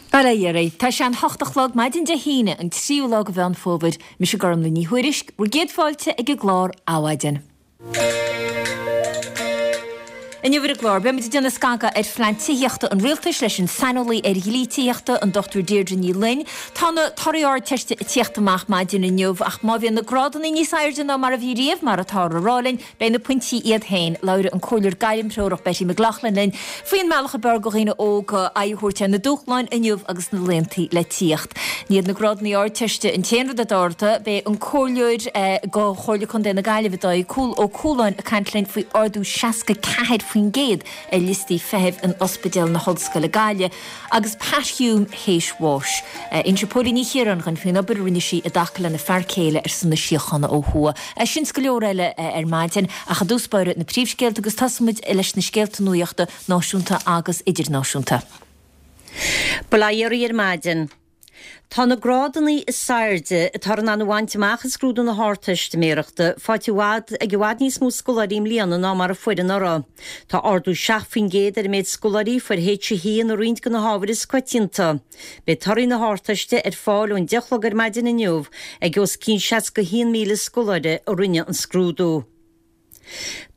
Bail ó Dhia oraibh. Tá sé an hocht a chlog maidin Dé hAoine, an tríú lá de Mheán Fómhair. Mise Gormlaith Ní Thuairisg, bhur gcéad fáilte ag an gclár Adhmhaidin. Inniu ar an gclár, beimid ag déanamh scagadh ar phlean tithíochta an Rialtais leis an saineolaí ar dhlí tithíochta, an Dr Deirdre Ní Fhloinn. Tá na torthaí Ardteiste ag tíocht amach maidin inniu ach má bhíonn na grádanna níos airde ná mar a bhí riamh, mar atáthar a rá linn, Beidh na pointí iad féin. Labhróidh an Comhairleoir Gairmthreorach Betty McLaughlin linn faoin mbealach ab fhearr do dhaoine óga aghaidh a thabhairt ar na dúshláin inniu agus sna laethanta le tíocht. Ní hiad na grádanna Ardteiste an t-aon rud atá ard. Beidh an Comhairleoir do Chomhairle Contae na Gaillimhe Dáithí Ó Cualáin ag caint linn faoi ardú 64% ar liostaí feithimh in Ospidéal na hOllscoile Gaillimh. Agus Pat Hume théis bháis. Inseoidh Póilín Ní Chiaráin dhúinn faoin obair a rinne sí i dtaca lena fear céile ar son na síochána ó thuaidh. Sin 's go leor eile ar maidin, ach i dtús báire na príomhscéalta agus tosóidh muid leis na scéalta nuachta náisiúnta agus idirnáisiúnta. Bail ó Dhia oraibh ar maidin. Tá na grádanna is airde atáthar in ann a bhaint amach i scrúdú na hArdteistiméireachta faighte i bhfad ag i bhfad níos mó scoláirí i mbliana ná mar a fuair anuraidh. Tá ardú 7% ar an méid scoláirí a fuair H1 i roinnt de na hábhair is coitianta. Beidh torthaí na hArdteiste ar fáil ón 10 a chlog ar maidin inniu ag os cionn 61,000 scoláire a rinne an scrúdú.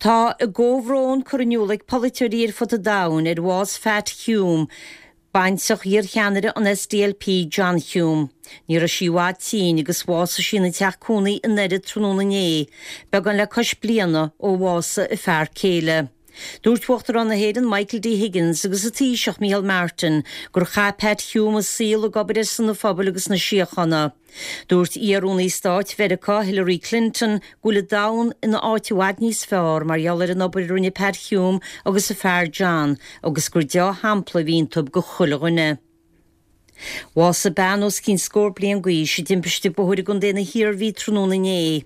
Tá a gcomhbhrón curtha in iúl ag polaiteoirí ar fud an domhain ar bhás Phat Hume, baintreach iarcheannaire an SDLP John Hume. Ní raibh sí i bhfad tinn agus bhásaigh sí ina teach cónaí i nDoire tráthnóna inné, beagán le cois bliana ó bhásaigh a fear céile. Dúirt Uachtarán na hÉireann Michael D Higgins agus an Taoiseach Micheál Martin gur chaith Pat Hume a saol ag obair ar son an phobail agus na síochána. Dúirt iar-Rúnaí Stáit Mheiriceá Hillary Clinton go bhfuil an domhan ina áit i bhfad níos fearr mar gheall ar an obair a rinne Pat Hume agus a fear John agus gur deá-shampla a bhí iontu do chuile dhuine. Bhásaigh bean os cionn scór bliain d'aois i dtimpiste bóthair i gContae na hIarmhí tráthnóna inné.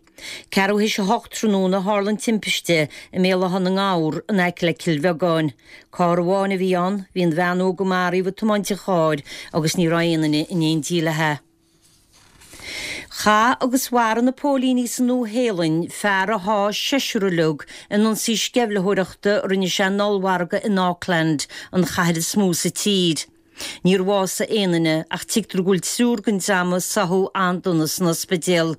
Ceathrú théis a hocht tráthnóna a tharla an timpiste i mBéal Átha na nGabhar in aice le Cill Bheagáin. Carr amháin a bhí ann, bhí an bhean óg a maraíodh ag tiomáint an chairr agus ní raibh aon duine in éindí léi. Chaith agus mharaigh na póilíní sa Nua-Shéalainn fear a sháigh seisear uilig in ionsaí sceimhlitheoireachta a rinne sé in ollmhargadh in Auckland, an chathair is mó sa tír. Níor bhásaigh aon duine ach tuigtear go bhfuil triúr den dream a sáthadh an-dona san ospidéal.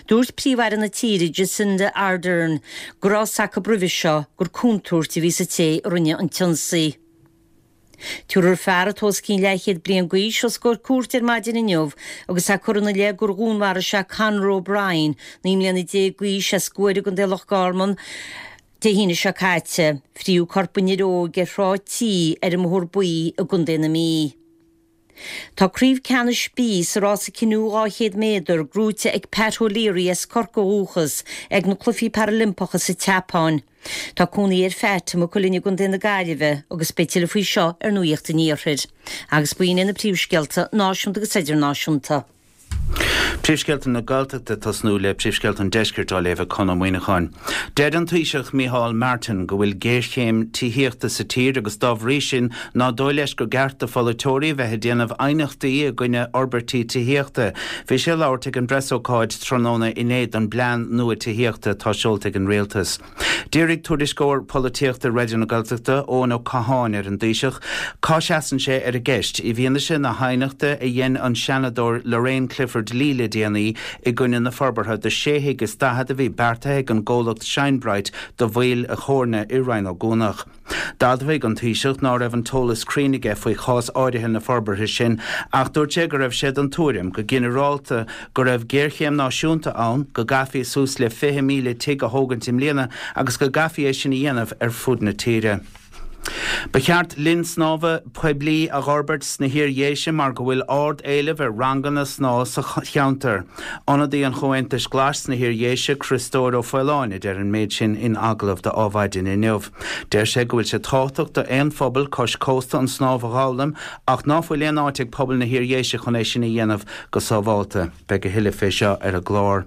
Dúirt Príomh-Aire na tíre, Jacinda Ardern, go raibh fhios acu roimhe seo gur contúirt a bhí sa té a rinne an t-ionsaí. Tabharfar fear atá os cionn leathchéad bliain d'aois os comhair cúirte ar maidin inniu agus é curtha ina leith gur dhúnmharaigh sé Conor O'Brien, 19 mbliana d'aois, as Guaire i gContae Loch Garman, Dé hAoine seo caite. Fríodh corp an fhir óig ar Shráid T ar an mBóthar Buí i gContae na Mí. Tá Craobh Ceannais B sa rása canoe 200 méadar gnóite ag Pat O'Leary as Corcaigh ó dhúchas ag na Cluichí Parailimpeacha sa tSeapáin. Tá cónaí ar Phat i Maigh Cuilinn i gContae na Gaillimhe agus beidh tuilleadh faoi seo ar Nuacht an Iarthair. Agus b'in iad na príomhscéalta náisiúnta agus idirnáisiúnta. Príomhscéalta na Gaeltachta ag tosnú le Príomhscéalta an Deiscirt á léamh ag Conn Ó Muíneacháin. Deir an Taoiseach Micheál Martin go bhfuil géarchéim tithíochta sa tír agus dá bhrí sin ná dóigh leis gur gceart do pholaiteoirí a bheith ag déanamh aighneachtaí i gcoinne fhorbairtí tithíochta. Bhí sé ag labhairt ag an bpreasócáid tráthnóna inné don bplean nua tithíochta atá seolta ag an Rialtas. D'iarraidh tuairisceoir polaitíochta Raidió na Gaeltachta, Eoin Ó Catháin ar an dTaoiseach cá seasann sé ar an gceist, i bhfianaise na haighneachta a dhein an Seanadóir Lorraine Clifford-Lee le déanaí i gcoinne na forbartha do sé thigh is 40 a bhí beartaithe ag an gcomhlacht Shinebrite do Mhaoil a' Chóirne i Rinn Ó gCuanach. D'admhaigh an Taoiseach ná raibh an t-eolas cruinn aige faoi chás áirithe na forbartha sin ach dúirt sé go raibh sé den tuairim, go ginearálta, go raibh géarchéim náisiúnta ann, go gcaithfí suas le 20,000 tigh a thógaint i mbliana agus go gcaithfí é sin a dhéanamh ar fud na tíre. Ba cheart linn snámha poiblí a dh'fhorbairt sna hIar-Dhéise mar go bhfuil ard-éileamh ar ranganna snámha sa cheantar. Ionadaí an Chomhaontais Ghlais sna hIar-Dhéise, Criostóir Ó Faoláin, a deir an méid sin in agallamh do Adhmhaidin inniu. Deir sé go bhfuil sé tábhachtach do aon phobal cois cósta an snámh a dh'fhoghlaim ach ná fuil aon áit ag pobal na hIar-Dhéise chun é sin a dhéanamh go sábhálta. Beidh a thuilleadh fé seo ar an gclár.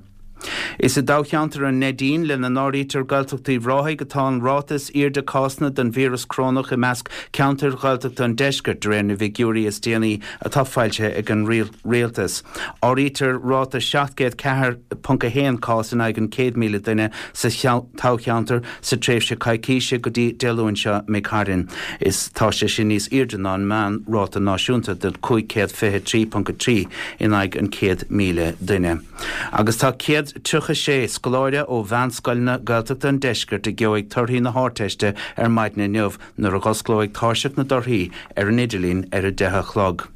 Is i dtoghcheantar an Neidín, lena n-áirítear Gaeltacht Uíbh Ráthaigh, atá an ráta is airde cásanna den víreas corónach i measc ceantair Ghaeltachta an deiscirt, de réir na bhfigiúirí is déanaí atá foilsithe ag an Rialtas. Áirítear ráta 704.1 cás in aghaidh an 100,000 duine sa toghcheantar sa tréimhse coicíse go dtí Dé Luain seo imigh tharainn. Is tá sé sin níos airde ná an meán-ráta náisiúnta de 523.3 in aghaidh an 100,000 duine. Agus tá 136 scoláire ó mheánscoileanna Gaeltachta an deiscirt a gheobhaidh torthaí na hArdteiste ar maidin inniu nuair a dh'osclóidh tairseach na dtorthaí ar an idirlíon ar a 10 a chlog.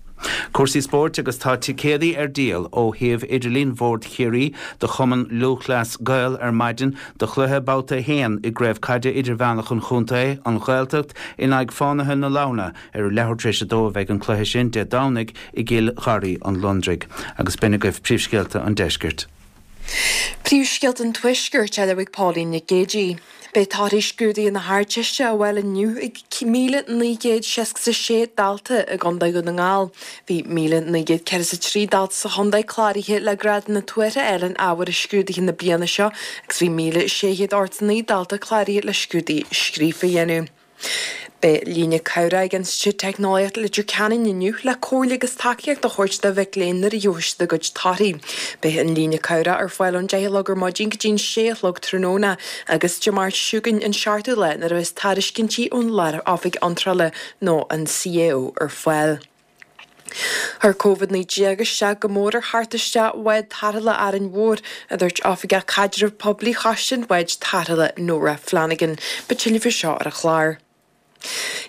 Cúrsaí spóirt agus tá ticéadaí ar díol ó shuíomh idirlín Bhord Chiarraí do Chumann Lúthchleas Gael ar maidin do chluiche Babhta 1 i gCraobh Caide Idirmheánach an Chontae, An Ghaeltacht, in aghaidh Fánaithe na Leamhna Ar a leathuair tar éis a dó a bheidh an cluiche sin Dé Domhnaigh i gCill Gharraí an Londraigh. Agus b'in agaibh príomhscéalta an deiscirt. Príomhscéalta an Tuaiscirt á léamh ag Pauline Nic Géidigh. Beidh torthaí scrúduithe na hArdteiste á bhfáil inniu ag 1,966 dalta i gContae Dhún na nGall. Bhí 1,943 dalta sa chontae cláraithe le grádanna tuartha a fháil in ábhair i scrúduithe na bliana seo agus bhí 1,689 dalta cláraithe le scrúduithe scríofa a dhéanamh. Beidh líne cabhrach ag Institiúid Teicneolaíochta Leitir Ceanainn inniu le comhairle agus tacaíocht a thabhairt do mhic léinn nuair a gheobhaidh siad a gcuid torthaí. Beidh an líne cabhrach ar fáil ón 10 a chlog ar maidin go dtí an 6 a chlog tráthnóna agus Dé Máirt seo chugainn, an 7ú lá, nuair a bheas tairiscintí ón Lár-Oifig Iontrála nó an CAO ar fáil. Chuir Covid-19 isteach go mór ar theacht isteach bhád tarrthála Árainn Mhór, a dúirt Oifigeach Caidrimh Poiblí Choiste an Bháid Tarrthála, Nóra Flanagan. Beidh tuilleadh faoi seo ar an chlár.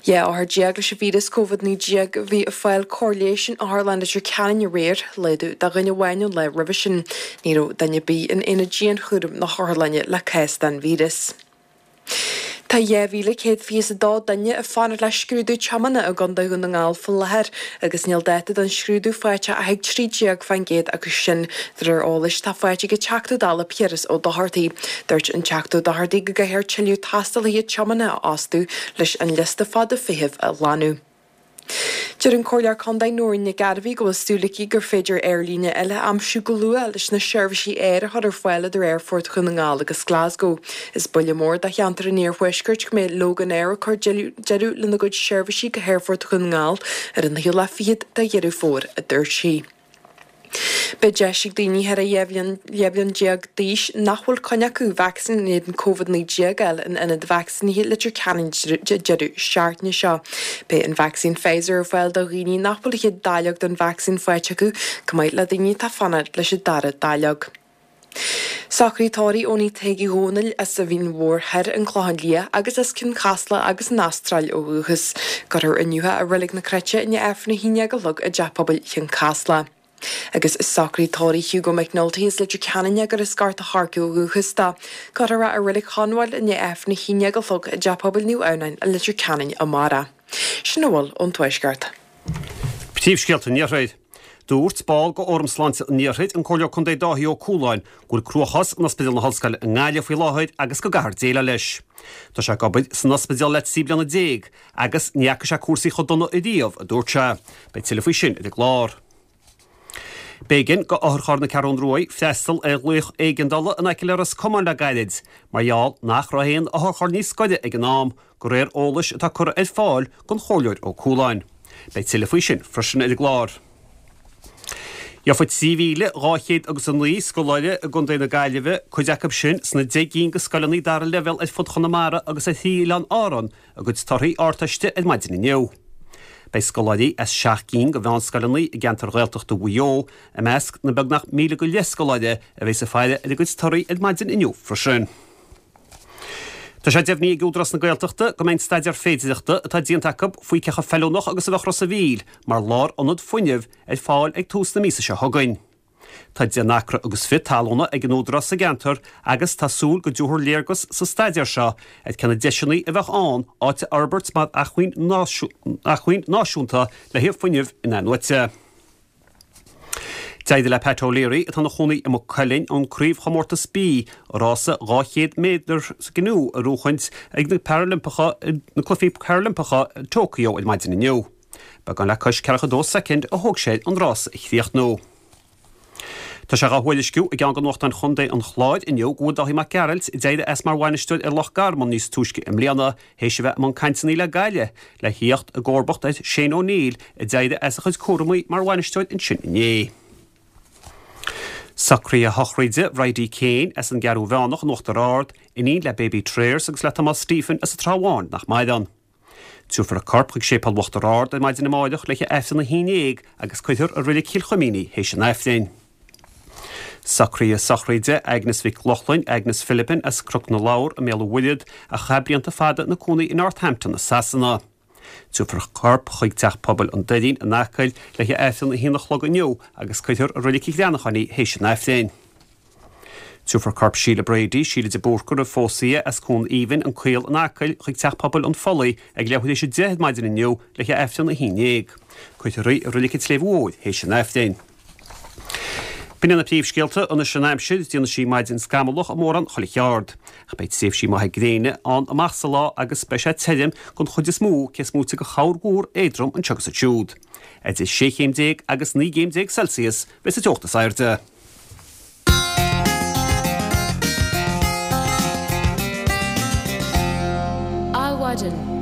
12 othar leis an víreas Covid-19 a bhí ag fáil cóir leighis in Otharlann Leitir Ceanainn aréir, laghdú de dhuine amháin ón lá roimhe sin. Ní raibh duine ar bith in aonad dianchúraim na hotharlainne le cás den víreas. Tá 2,122 duine ag fanacht le scrúdú tiomána i gContae Dhún na nGall faoi láthair agus níl dáta don scrúdú faighte ach ag 13% acu sin, de réir eolais atá faighte ag an Teachta Dála Piaras Ó Dochartaigh. Dúirt an Teachta Ó Dochartaigh go gcaithfear tuilleadh tástálaithe tiomána a fhostú leis an liosta fada feithimh a ghlanadh. Deir an Comhairleoir Contae Nóirín Nic Gairbhí go bhfuil súil aici gur féidir aerlíne eile a aimsiú go luath leis na seirbhísí aeir a chur ar fáil idir Aerfort Dhún na nGall agus Glasgow. Is buille mór do cheantar an Iarthuaiscirt go mbeidh Loganair ag cur deireadh lena gcuid seirbhísí go hAerfort Dhún na nGall ar an naoú lá fichead de Dheireadh Fómhair, a dúirt sí. Beidh deis ag daoine thar 12 bhliain d'aois nach bhfuil coinne acu vacsaín in éadan Covid-19 a fháil in ionad vacsaínithe Leitir Ceanainn an deireadh seachtaine seo. Beidh an vacsaín Pfizer ar fáil do dhaoine nach bhfuil a chéad dáileog den vacsaín faighte acu, chomh maith le daoine atá ag fanacht leis an dara dáileog. Socraithe tórraimh Eoiní Thaidhg Uí Dhónaill as an Mhín Mhór Thoir, An Clochán Liath, agus as Cionn Chasla agus an Astráil ó dhúchas. Cuirfear inniu é i Reilig na Cruite i ndiaidh Aifreann 11 a chlog i dTeach Pobail Chionn Chasla. Agus socraithe tórraimh Hugo McNulty as Leitir Ceanainn agus as Gort a' Choirce ó dhúchas dó. Cuirfear é i Reilig Chonbháil i ndiaidh Aifreann 11 a chlog i dTeach Pobail Naomh Adhamhnáin i Leitir Ceanainn amárach. Sin a bhfuil ón Tuaisceart. Príomhscéalta an Iarthair. Dúirt ball de Fhóram Sláinte an Iarthair, an Comhairleoir Contae Dáithí Ó Cualáin, go bhfuil cruachás in Ospidéal na hOllscoile i nGaillimh faoi láthair agus go gcaithfear déileáil leis. Tá sé ag obair san ospidéal le 13 bliana agus ní fhaca sé cúrsaí chomh dona ariamh, a dúirt sé. Beidh tuilleadh faoi sin ar an gclár. B'éigean do otharcharr na Ceathrún Ruaidh freastal ar ghlaoch éigeandála in aice le Ros Comáin le gairid mar gheall nach raibh aon otharcharr níos gaire ag an am, de réir eolais atá curtha ar fáil don Chomhairleoir Ó Cualáin. Beidh tuilleadh faoi sin freisin ar an gclár. Gheobhaidh 3,200 agus 9 scoláire i gContae na Gaillimhe, cuid acu sin sna 10 gcinn de scoileanna dara leibhéal ar fud Chonamara agus ar thrí oileán Árann, a gcuid torthaí Ardteiste ar maidin inniu. Beidh scoláirí as seacht gcinn de mheánscoileanna i gceantar Ghaeltachta Mhaigh Eo i measc na beagnach míle go leith scoláire a bheas ag faire ar a gcuid torthaí ar maidin inniu freisin. Tá sé deimhnithe ag Údarás na Gaeltachta go mbeidh an staidéar féidireachta atá déanta acu faoi cé chomh feiliúnach agus a bheadh Ros a' Mhíl mar lár-ionad fuinnimh ar fáil ag tús na míosa seo chugainn. Tá 10 n-acra agus fiche talúna ag an Údarás sa gceantar agus tá súil go dtabharfar léargas sa staidéar seo ar cé na deiseanna a bheadh ann áit a fhorbairt mar acmhainn náisiúnta le haghaidh fuinneamh in-athnuaite. D'éirigh le Pat O'Leary, atá ina chónaí i Maigh Cuilinn, an Craobhchomórtas B, rása 200 méadar sa gcanú a bhuachaint ag na Parailimpeacha, na Cluichí Parailimpeacha i Tokyo ar maidin inniu. Beagán le cois 42 soicind a thóg sé air an rása a chríochnú. Tá sé dhá thuairisciú i gceann de nuachtáin chontae an Chláir inniu go bhfuil Dáithí Mac Gearailt, a d'éirigh as mar bhainisteoir ar Loch Garman níos túisce i mbliana, théis a bheith i mbun cainteanna le Gaillimh le thíocht i gcomharbacht ar Shane O'Neill a d'éirigh as a chuid cúramaí mar bhainisteoir ansin inné. Socruithe sochraide Bhridie Kane as an gCeathrú Mheánach in Uachtar Ard, iníon le Baby Trayers agus le Tomás Stephen as an Trá Bháin nach maireann. Tabharfar a corp chuig Séipéal Uachtar Ard ar maidin amáireach le haghaidh Aifreann a haon déag agus cuirfear i Reilig Chill Chuimín í théis an Aifrinn. Socruithe sochraide Agnes Mhic Lochlainn, Agnes Philipin as Cnoc na Lobhar i mBéal an Mhuirthead, a chaith blianta fada ina cónaí i Northampton i Sasana. Tabharfar a corp chuig Teach Pobail an Doirín in Acaill le haghaidh Aifreann a haon a chlog inniu agus cuirfear i Reilig an Ghreanacháin í théis an Aifrinn. Tabharfar corp Sheila Brady, Sheila de Búrca roimh phósadh í, as Cuan Aoibhinn, An Caol in Acaill, chuig Teach Pobail an Phollaigh ag leathuair théis 10 ar maidin inniu le haghaidh Aifreann 11. Cuirfear í i Reilig an tSléibhe Mhóir théis an Aifrinn. B'in iad na príomhscéalta, anois an aimsir, déanfaidh sí maidin scamallach i mórán chuile cheard. Ach beidh tréimhsí maithe gréine ann amach sa lá agus beidh sé tirim den chuid is mó, cé is móite de chorrmhúr éadrom anseo agus ansiúd. Idir 16 chéim agus 19 gcéim Celsius bheas an teocht is airde. Adhmhaidin.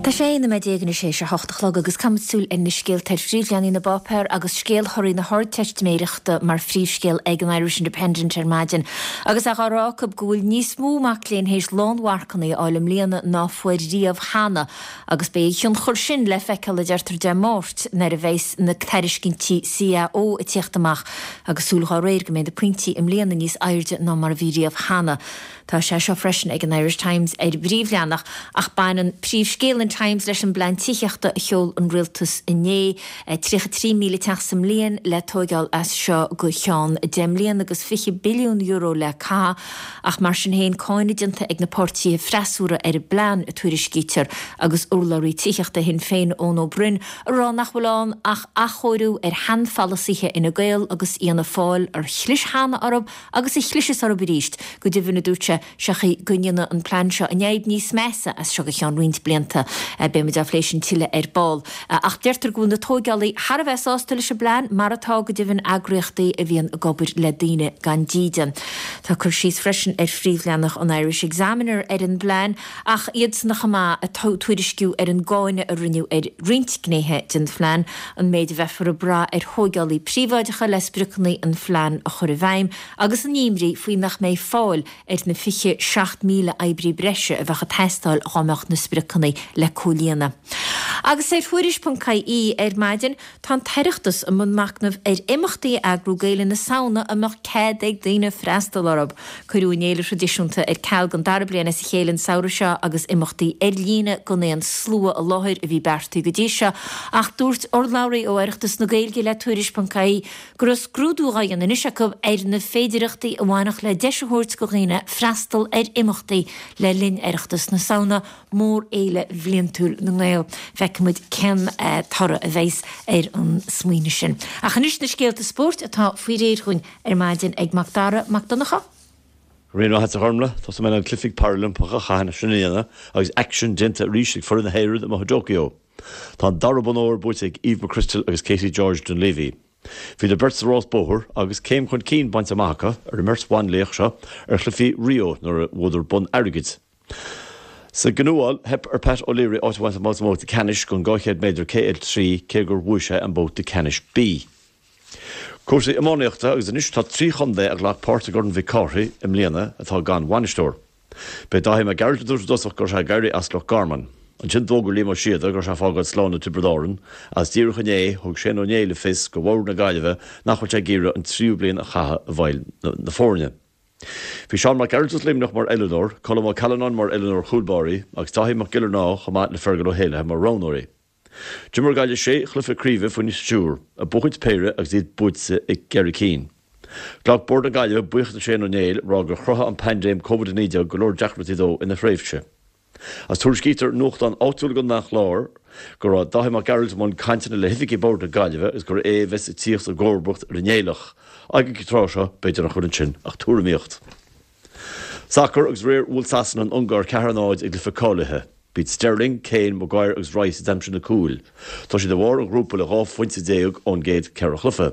Tá 16 nóiméad anois théis a hocht a chlog agus caithfimid súil ar na scéalta ar phríomhleathanaigh na bpáipéar agus scéal thorthaí na hArdteistiméireachta mar phríomhscéal ag an Irish Independent ar maidin agus é dhá rá acu go bhfuil níos mó mac léinn théis lánmharcanna a fháil i mbliana ná fuair riamh cheana Agus beidh a thionchar sin le feiceáil, a deirtear, Dé Máirt nuair a bheas na tairiscintí CAO ag tíocht amach agus súil dhá réir go mbeidh na pointí i mbliana níos airde ná mar a bhí riamh cheana. Tá sé seo freisin ag an Irish Times ar a bpríomhleathanach ach baineann príomhscéal an Times leis an bplean tithíochta a sheol an rialtas inné, 33,000 teach sa mbliain le tóigeáil as seo go ceann 10 mbliana agus €20 billiún le caitheamh. Ach mar sin féin, cáineadh déanta ag na páirtithe freasúra ar an bplean, a tuairiscítear, agus urlabhraí tithíochta Shinn Féin, Eoin Ó Broin, ag rá nach bhfuil ann ach athchóiriú ar sheanpholasaithe Fhine Gael agus Fhianna Fáil ar chlis cheana orthu agus a chlisfeas orthu arís. Go deimhin, a dúirt sé, sé chaoi go ndéanfaidh an plean seo an fhadhb níos measa as seo go ceann roinnt blianta. Beidh muid á phlé sin tuilleadh ar ball. Ach deirtear go bhfuil na tóigeálaí thar a bheith sásta leis an bplean, mar atá, go deimhin, eagraíochtaí a bhíonn ag obair le daoine gan dídean. Tá cur síos freisin ar phríomhleathanach an Irish Examiner ar an bplean, ach iadsan chomh maith ag tuairisciú ar an gcáineadh a rinneadh ar roinnt gnéithe den phlean, an méid a bheifear ag brath ar thóigeálaí príobháideacha le spriocanna an phlean a chur i bhfeidhm, agus an imní faoi nach mbeidh fáil ar na 27,000 oibrí breise a bheadh ag teastáil dhá mbeadh na spriocanna le comhlíonadh. Agus ar Thuairisc.ie ar maidin, tá an tOireachtas i mbun machnaimh ar imeachtaí a eagrú do Fhéile na Samhna a mbeadh cead ag daoine freastal orthu. Cuireadh an fhéile thraidisiúnta ar ceal don dara bliain as a chéile an samhradh seo agus imeachtaí ar líne gan aon slua i láthair a bhí beartaithe go dtí seo ach dúirt urlabhraí ó Oireachtas na Gaeilge le Tuairisc.ie go raibh scrúdú dhá dhéanamh anois acu ar na féidireachtaí a bhainfeadh le deis a thabhairt go dhaoine freastal ar imeachtaí le linn Oireachtas na Samhna, mórfhéile bhliantúil na nGael. Feicfidh muid cén toradh a bheas ar an smaoineamh sin. Ach anois na scéalta spóirt atá faoi réir dhúinn ar maidin ag Mac Dara Mac Donncha. Go raibh maith agat a Ghormlaith, tosóidh mé le na Cluichí Parailimpeacha a chaith sin a dhéanamh agus aicsean déanta arís ag foireann na hÉireann amuigh i dTokyo. Tá an dara bonn óir buaite ag Eve McCrystal agus Katie George Dunleavy. Bhíodar beirt sa rás bóthair agus céim chun cinn bainte amach acu ar an mbeirt bhanlaoch seo ar Chluichí Rio nuair a bhuadar bonn airgid. Sa gcanúáil, theip ar Pat O'Leary áit a bhaint amach sa mbabhta ceannais den 200 méadar KL3 cé gur bhuaigh sé an babhta ceannais B. Cúrsaí iománaíochta agus anois tá 3 chontae a ghlac páirt i gCorn Mhic Cárthaigh i mbliana atá gan bhainisteoir. B'é Dáithí Mac Gearailt a dúirt i dtosach go raibh sé ag éirí as Loch Garman. Ansin d'fhógair Liam Ó Síoda go raibh sé ag fágáil slán le Tiobraid Árann agus díreach inné thug Shane Ó Néill le fios go Bhord na Gaillimhe nach bhfuil sé ag iarraidh an tríú bliain a chaitheamh i bhfeighil na foirne. Bhí Seán Mac Gearailt as Luimneach mar oiliúnóir, Colm Ó Callanáin mar oiliúnóir chúlbáirí agus Dáithí Mac Giollarnáth chomh maith le Fergal Ó hÉallaithe mar roghnóirí. D'imir Gaillimh sé chluiche craoibhe faoina stiúir, ag buachaint péire agus iad buaite i gceithre cinn. Ghlac Bord na Gaillimhe buíochas le Shane Ó Néill, ag rá gur chruthaigh an paindéim Covid-19 go leor deacrachtaí dó ina thréimhse. Agus tuairiscítear i nuachtán áitiúil i gContae an Chláir go raibh Dáithí Mac Gearailt i mbun cainteanna le hoifigigh Bhord na Gaillimhe agus gur é a bheas ag tíocht i gcomharbacht ar an Néilleach. Ag an tráth seo, b'fhéidir nach bhfuil ansin ach tuairimíocht. Sacar agus aréir bhuail Sasana an Ungáir 4 0 i gcluiche cáilithe. B'iad Sterling, Kane, Maguire agus Rice a d'aimsigh na cúil. Tá siad i bharr an ghrúpa le 12 phointe ón gcéad cheithre chluiche.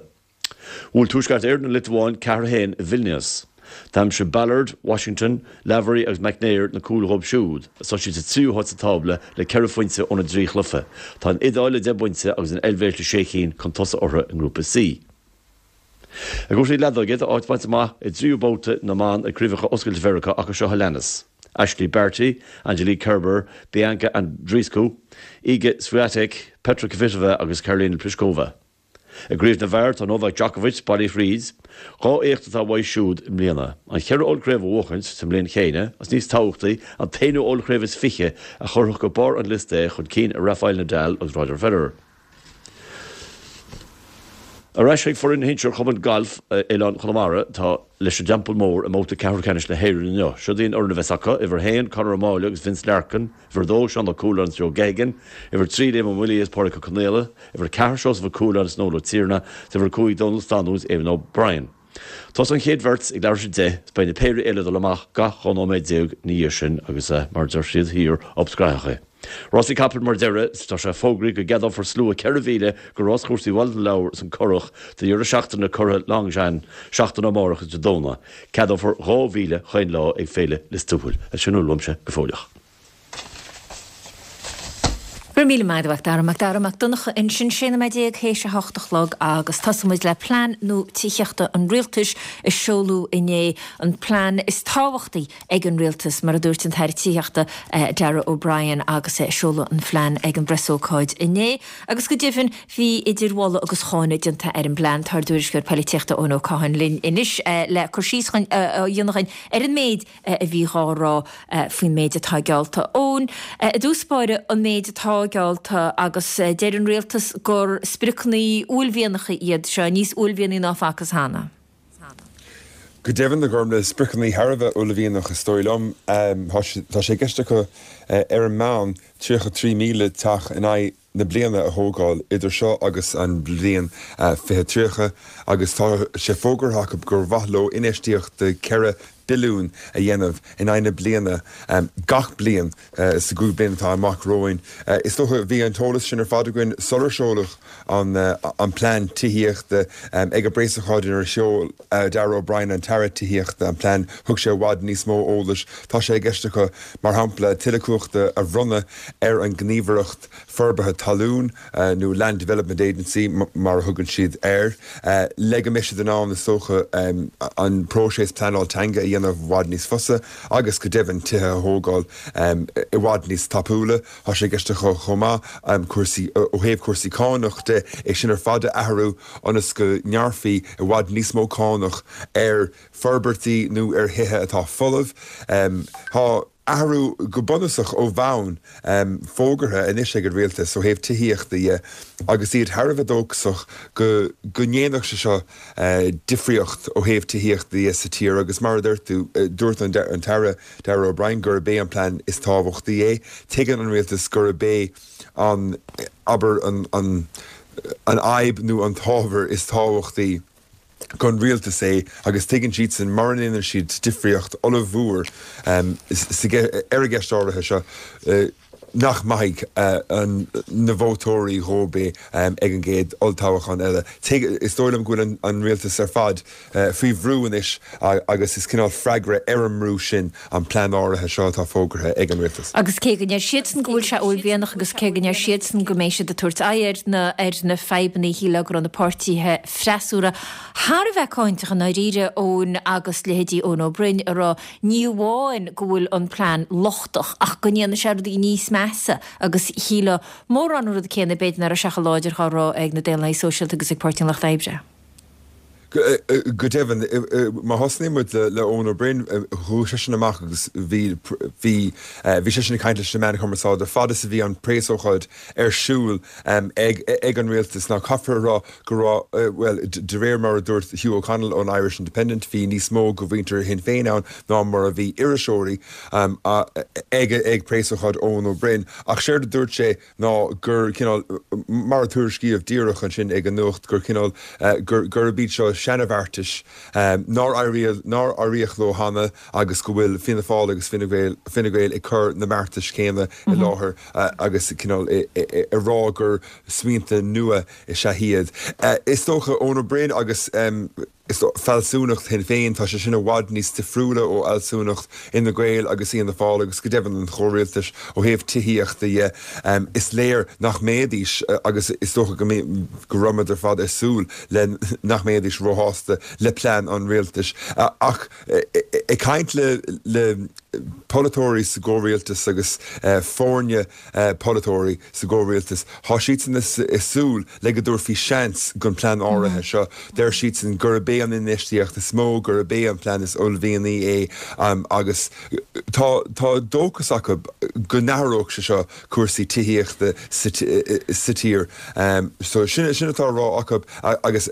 Bhuail Tuaisceart Éireann an Liotuáin 4, 1 i Vilnius. D'aimsigh Ballard, Washington, Lavery agus McNair na cúil dhóibh siúd, agus tá siad sa tríú háit sa tábla le ceithre phointe óna dtrí chluiche. Tá an Iodáil le deich bpointe agus an Eilvéis le sé chinn chun tosaigh orthu i nGrúpa C. I gcúrsaí leadóige, tá áit bainte amach i dtríú babhta na mban ag Craobhacha Oscailte Mheiriceá acu seo a leanas, Ashleigh Barty, Angelique Kerber, Bianca Andreescu, Iga Swiatek, Petra Kvitova agus Karolina Pliskova. I gcraobh na bhfear, tá Novak Djokovic bailithe thríd. Dhá éacht atá uaidh siúd i mbliana, an cheithre ollchraobh a bhuachaint sa mbliain chéanna agus níos tábhachtaí, an t-aonú ollchraobh is 20 a chuirfeadh go barr an liosta é chun cinn ar Rafael Nadal agus Roger Federer. Ar ais chuig foireann shinsir Chumann Gailf Oileán Chonamara atá leis an dTeampall Mór i mbabhta ceathrú ceannais na hÉireann inniu. Siod í an fhoireann a bheas acu, Uimhir 1, Conor Ó Máille agus Vince Larkin, Uimhir 2, Seán Ó Cualáin agus Joe Geoghegan, Uimhir 3, Liam Ó Muillí agus Pádraig Ó Conaola, Uimhir 4, Seosamh Ó Cualáin agus Noel Ó Tiarnaigh, agus Uimhir 5, Dónal Standún agus Eamon O'Brien. Tosóidh an chéad bheirt ag leathuair tar éis a 10 is beidh na péirí eile ag dul amach gach 12 nóiméad ina dhiaidh sin agus, mar a deir siad thiar, up scrathach é. Rásaí capall mar dheireadh, tá sé fógraithe go gceadófar slua 4,000 go ráschúrsaí Bhaile na Lobhar is an Currach do dheireadh seachtaine curtha Longchamp seachtain amárach is Dé Domhnaigh. Ceadófar 2,000 chaon lá ag Féile Lios Tuathail. Sin a bhfuil uaimse go fóilleach. Go raibh míle maith agat, Dara Mac Dara Mac Donncha ansin, 16 nóiméad théis a hocht a chlog agus tosóidh muid le plean nua tithíochta an rialtais a seoladh inné, an plean is tábhachtaí ag an rialtas, mar a dúirt an tAire Tithíochta Darragh O'Brien agus é ag seoladh an phlean ag an bpreasócáid inné. Agus go deimhin bhí idir mholadh agus cháineadh déanta ar an bplean. Tá ár dtuairisceoir poilitíochta Eoin Ó Catháin linn anois le cur síos a dhéanamh dhuinn ar an méid a bhí dhá rá faoin méid atá geallta. Eoin, i dtús báire, an méid atá geallta agus deir an rialtas gur spriocanna uaillmhianacha iad seo, níos uaillmhianaí ná facthas cheana. Go deimhin, a Ghormlaith, spriocanna thar a bheith uaillmhianach is dóigh liom. Tá sé i gceist acu ar an meán 33,000 teach in aghaidh na bliana a thógáil idir seo agus an bhliain 2030 agus tá sé fógartha acu gur mhaith leo infheistíocht de 4 billiún a dhéanamh in aghaidh na bliana gach bliain sa gcúig bliana atá amach romhainn. Is dócha, bhí an t-eolas sin ar fad againn sular seoladh an plean tithíochta. Ag an bpreasócáid inar sheol Darragh O'Brien, an tAire Tithíochta, an plean, thug sé i bhfad níos mó eolais. Tá sé i gceist acu, mar shampla, tuilleadh cumhachta a bhronnadh ar an nGníomhaireacht Forbartha Talún, nó Land Development Agency mar a thugann siad air, le go mbeidh siad in ann, is dócha, an próiseas pleanáil teanga a dhéanamh i bhfad níos fusa agus go deimhin tithe a thógáil i bhfad níos tapúla. Tá sé i gceist acu chomh maith cúrsaí, ó thaobh cúrsaí cánach de, é sin ar fad a athrú ionas go ngearrfaí i bhfad níos mó cánach ar forbairtí nó ar thithe atá folamh. Tá athrú go bunúsach ó bhonn fógartha anois ag an rialtas ó thaobh tithíochta dhe agus iad thar a bheith dóchasach go go ndéanfadh sé seo difríocht ó thaobh tithíochta dhe sa tír agus mar a dúirt tú, dúirt an tAire Darragh O'Brien gurb é an plean is tábhachtaí é. Tuigeann an rialtas gurb é an, abair, an an fhadhb nó an t-ábhar is tábhachtaí don rialtas é agus tuigeann siadsan mura ndéanann siad difríocht ollmhór ar an gceist áirithe seo nach maithfidh na vótóirí dhóibh é ag an gcéad olltoghchán eile. Is dóigh liom go bhfuil an rialtas ar fad faoi bhrú anois agus is cineál freagra ar an mbrú sin an plean áirithe seo atá fógartha ag an rialtas. Agus cé go ndeir siadsan go bhfuil sé uaillmhianach agus cé go ndeir siadsan go mbeidh siad ag tabhairt aghaidh ar na ar na fadhbanna shílfeá go raibh na páirtithe freasúra thar a bheith cáinteach i ndáiríre Eoin agus leithéidí Eoin Ó Broin ag rá ní amháin go bhfuil an plean lochtach ach go ndéanfaidh sé rudaí níos measa agus shílfeá mórán an rud céanna b'fhéidir nach raibh sé chomh láidir dhá rá ag na Daonlathaigh Sóisialta agus ag Páirtí an Lucht Oibre. Go deimhin, má thosnaíonn muid le Eoin Ó Broin, chuaigh seisean amach agus bhí, bhí, bhí seisean ag caint leis na meáin chumarsáide fad is a bhí an preasócáid ar siúl ag, ag an rialtas. Now caithfear a rá go raibh, bhuel, de réir mar a dúirt Hugh O'Connell ón Irish Independent, bhí níos mó de mhuintir Shinn Féin ann ná mar a bhí iriseoirí ag, ag preasócáid Eoin Ó Broin. Ach séard a dúirt sé, ná gur cineál, mar a tuairiscíodh díreach ansin ag an nuacht, gur cineál, gur, gurb iad seo. seana-bheartais nár éiríodh, nár éiríodh leo cheana agus go bhfuil Fianna Fáil agus Fine Gael, Fine Gael ag cur na mbeartais céanna i láthair agus cineál ag rá gur smaointe nua is ea iad. Is dócha Eoin Ó Broin agus. Is fealsúnacht Shinn Féin, tá sé sin i bhfad níos difriúla ó fhealsúnacht Fhine Gael agus Fhianna Fáil agus go deimhin an chomhrialtais ó thaobh tithíochta dhe. Is léir nach mbeidís, agus is dócha go go raibh muid ar fad ag súil le nach mbeidís róshásta le plean an rialtais. Ach ag caint le le polaiteoirí sa gcomhrialtas agus foirne polaiteoirí sa gcomhrialtas, tá siadsan ag súil le go dtabharfaí seans don plean áirithe seo. Deir siadsan gurb é an infheistíocht is mó, gurb é an plean is uaillmhianaí é agus tá tá dóchas acu go n-athródh sé seo cúrsaí tithíochta sa tír. So sin sin atá á rá acu agus.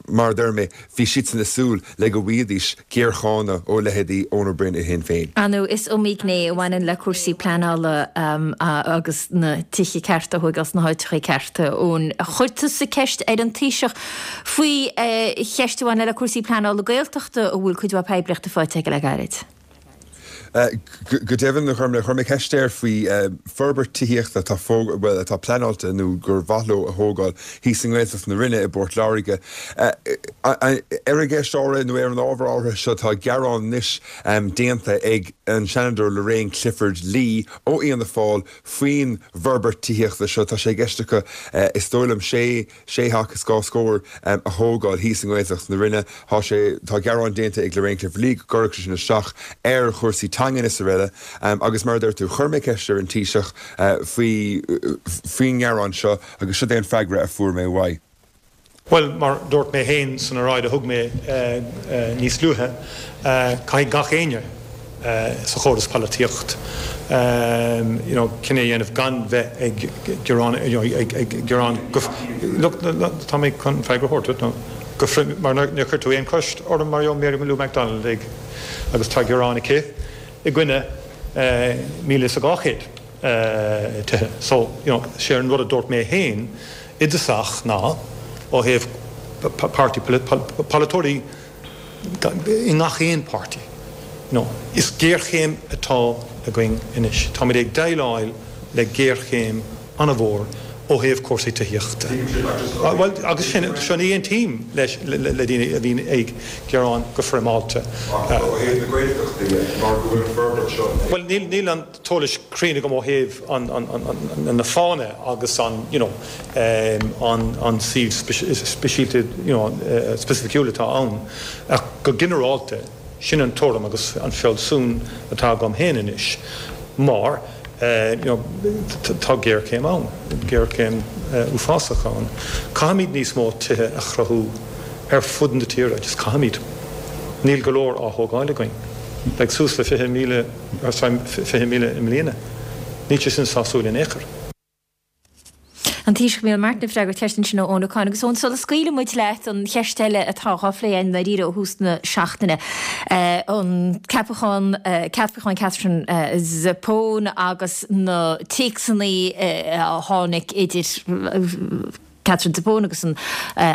Mar a deir mé, bhí siadsan ag súil le go bhfaighidís géarcháineadh ó leithéidí Eoin Ó Broin i Shinn Féin. Ar ndóigh, is iomaí gné a bhaineann le cúrsaí pleanála agus na tithe cearta a thóigeáil sna háiteacha cearta. Eoin, chuir tusa ceist ar an Taoiseach faoi cheist a bhaineann le cúrsaí pleanála Gaeltachta a bhfuil cuid mhaith poiblíochta faighte aige le gairid. Go deimhin, chuir mé ceist air faoi forbairt tithíochta atá bhuel, atá pleanáilte nó gur mhaith leo a thógáil thíos i nGaeltacht na Rinne i bPort Láirge. Ar an gceist áirithe nó ar an ábhar áirithe seo tá gearán anois déanta ag an Seanadóir Lorraine Clifford-Lee ó Fhianna Fáil faoin bhforbairt tithíochta seo. Tá sé i gceist acu, is dóigh liom, sé 6 theach is 2 scór a thógáil thíos i nGaeltacht na Rinne. Tá sé, tá gearán déanta ag Lorraine Clifford-Lee go gcuirfeadh sé sin isteach ar chúrsaí teangan is araile agus mar a deir tú, chuir mé ceist ar an Taoiseach faoi, faoin ngearán seo agus siod é an freagra a fuair mé uaidh. Bhuel, mar a dúirt mé féin san oráid a thug mé níos luaithe, caithfidh gach éinne, sa chóras polaitíocht you know cinneadh a dhéanamh gan bheith ag gearán you know ag gearán go look tá mé chun freagra a thabhairt duit nó go mar níor chuir tú aon cheist orm mar gheall Mary Lou McDonald ag agus tá gearán aici i gcoinne 1,200 tithe so you know sé an rud a dúirt mé féin i dtosach ná ó thaobh páirtí polaiteoirí i ngach aon páirtí. You know, is géarchéim atá againn anois. Táimid ag déileáil le géarchéim an-mhór ó thaobh cúrsaí tithíochta. Bhuel, agus sin, seo ní aontaím leis, le daoine a bhíonn ag gearán go foirmeálta. Ach ó thaobh na Gaeltachta dhe, mar go bhfuil an forbairt seo ag. Bhuel, níl, níl an t-eolas cruinn agam ó thaobh an, an, an, na fáthanna agus an, you know, an suíomh speisialta, you know, specificiúil atá ann ach go ginearálta sin an tuairim agus an fealsún atá agam féin anois mar you know tá géarchéim ann, géarchéim uafásach ann. Caithfimid níos mó tithe a chruthú ar fud na tíre, just caithfimid. Níl go leor á thógáil againn. Beidh suas le 20,000, sorry, 20,000 i mbliana. Níl sé sin sásúil in aon chor. An Taoiseach Micheál Martin ag freagairt ceist ansin ó Eoin Ó Cadhain. Agus Eoin, sula scaoilfidh muid leat, an cheist eile atá dhá phlé againn i ndáiríre ó thús na seachtaine, an ceapachán, ceapachán Catherine Zappone agus na téacsanna a tháinig idir Catherine Zappone agus an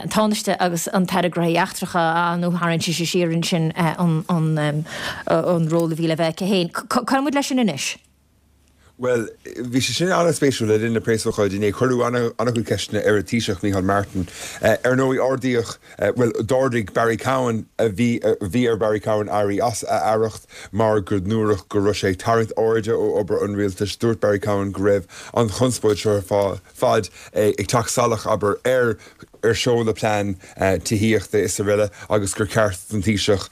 Tánaiste agus an tAire Gnóthaí Eachtracha, nó tharraing sise siar ansin an ról a bhí le bheith aici féin. Cá bhfuil muid leis sin anois? Bhuel, bhí sé sin an-spéisiúil le linn na preasócáide inné. Cuireadh an-chuid ceisteanna ar an Taoiseach, Micheál Martin. Ar ndóigh, ardaíodh, bhuel, d'ardaigh Barry Cowen, a bhí, bhí ar Barry Cowen éirí as a aireacht mar go ndúradh go raibh sé ag tarraingt airde ó obair an rialtais. Dúirt Barry Cowen go raibh an chonspóid seo ar fad ag teacht salach, abair, ar ar sheoladh plean tithíochta is araile agus gur cheart don Taoiseach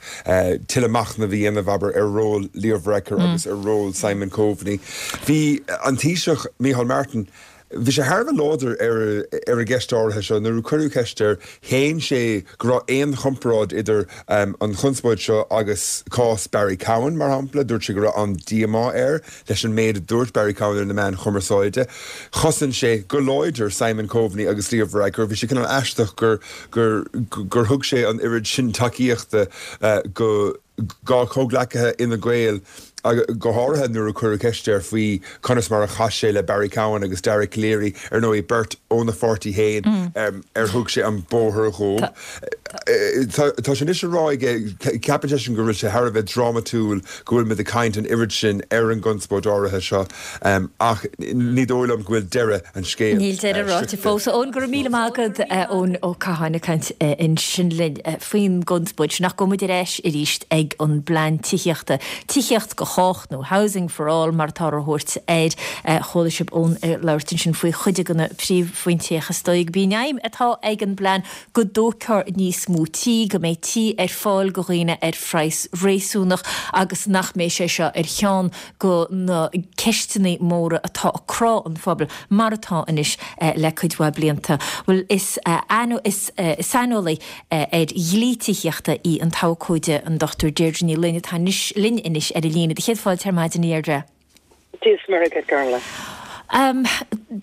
tuilleadh machnaimh a dhéanamh, abair, ar ról Leo Varadkar agus ar ról Simon Coveney. Bhí an Taoiseach, Micheál Martin, bhí sé thar a bheith láidir ar ar an gceist áirithe seo. Nuair a cuireadh ceist air, shéan sé go raibh aon chomparáid idir an chonspóid seo agus cás Barry Cowen, mar shampla. Dúirt sé go raibh an-díomá air Leis an méid a dúirt Barry Cowen ar na meáin chumarsáide, chosain sé go láidir Simon Coveney agus Leo Varadkar. Bhí sé cineál aisteach gur gur gur thug sé an oiread sin tacaíochta go dá chomhghleacaithe Fhine Gael. Go háirithe nuair a cuireadh ceist air faoi conas mar a chas sé le Barry Cowen agus Dara Calleary, ar ndóigh, beirt óna pháirtí féin, ar thug sé an bóthar dhóibh. Tá sé anois á rá aige, ceapann seisean go bhfuil sé thar a bheith drámatúil go bhfuil muid ag caint an oiread sin ar an gconspóid áirithe seo, ach ní dóigh liom go bhfuil deireadh an scéil Níl deireadh ráite fós. Eoin, go raibh míle maith agat, Eoin Ó Catháin ag caint ansin linn faoin gconspóid sin. Ach gabhfaidh muid ar ais arís ag an bplean tithíochta. Tithíocht do chách nó Housing for All mar atáthar a thabhairt air. Chuala sibh Eoin ag labhairt ansin faoi chuid de na príomhphointí ach is dóigh gurb í an aidhm atá ag an bplean go dtógfar níos mó tí, go mbeidh tí ar fáil do dhaoine ar phraghas réasúnach agus nach mbeidh sé seo ar cheann de na ceisteanna móra atá ag crá an phobail mar atá anois le cuid mhaith blianta. Bhuel is is saineolaí ar dhlí tithíochta í an t-abhcóide an Dr Deirdre Ní Fhloinn atá anois linn anois ar an líne. Do chéad fáilte ar maidin a Dheirdre. Dia is Muire dhuit, Gormlaith.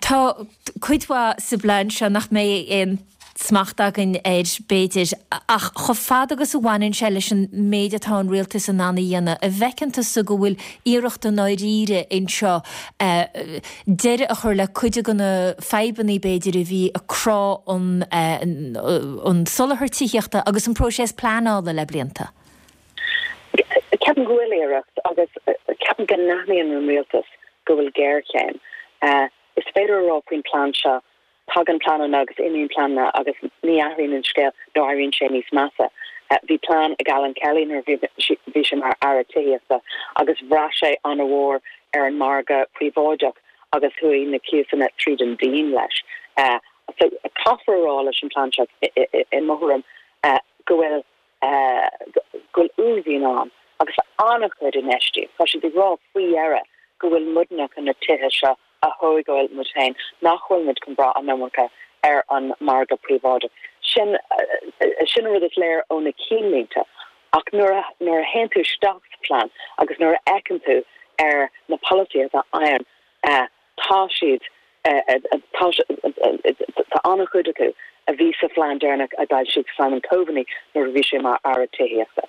Tá cuid mhaith sa bplean seo nach mbeidh aon smacht againn air, b'fhéidir, ach chomh fada agus a bhaineann sé leis an méid atá an rialtas in ann a dhéanamh, an bhfeiceann tusa go bhfuil iarracht i ndáiríre anseo deireadh a chur le cuid de na fadhbanna, b'fhéidir, a bhí ag crá an an soláthar tithíochta agus an próiseas pleanála le blianta? Ceapaim go bhfuil iarracht agus ceapaim go n-aithníonn an rialtas go bhfuil géarchéim. Is féidir a rá faoin plean seo, tagann pleananna agus imíonn pleananna agus ní athraíonn an scéal nó éiríonn sé níos measa. Bhí plean ag Alan Kelly nuair a bhí sé mar Aire Tithíochta agus bhraith sé an-mhór ar an margadh príobháideach agus chuaigh na cíosanna tríd an díon leis. So caithfear a rá leis an plean seo i mo thuairim go bhfuil go bhfuil uaillmhian ann agus an-chuid infheistíocht. Tá siad ag rá faoi dheireadh go bhfuil muidne chun na tithe seo a thógáil muid féin, nach bhfuil muid chun brath an iomarca ar an margadh príobháideach. Sin sin an rud is léir ó na cinnlínte. Ach nuair a nuair a théann tú isteach sa phlean agus nuair a fheiceann tú ar na polasaithe atá ann, Tá siad, tá, tá an-chuid acu a bhí sa phlean deireanach a d'fhoilsigh Simon Coveney nuair a bhí sé mar Aire Tithíochta.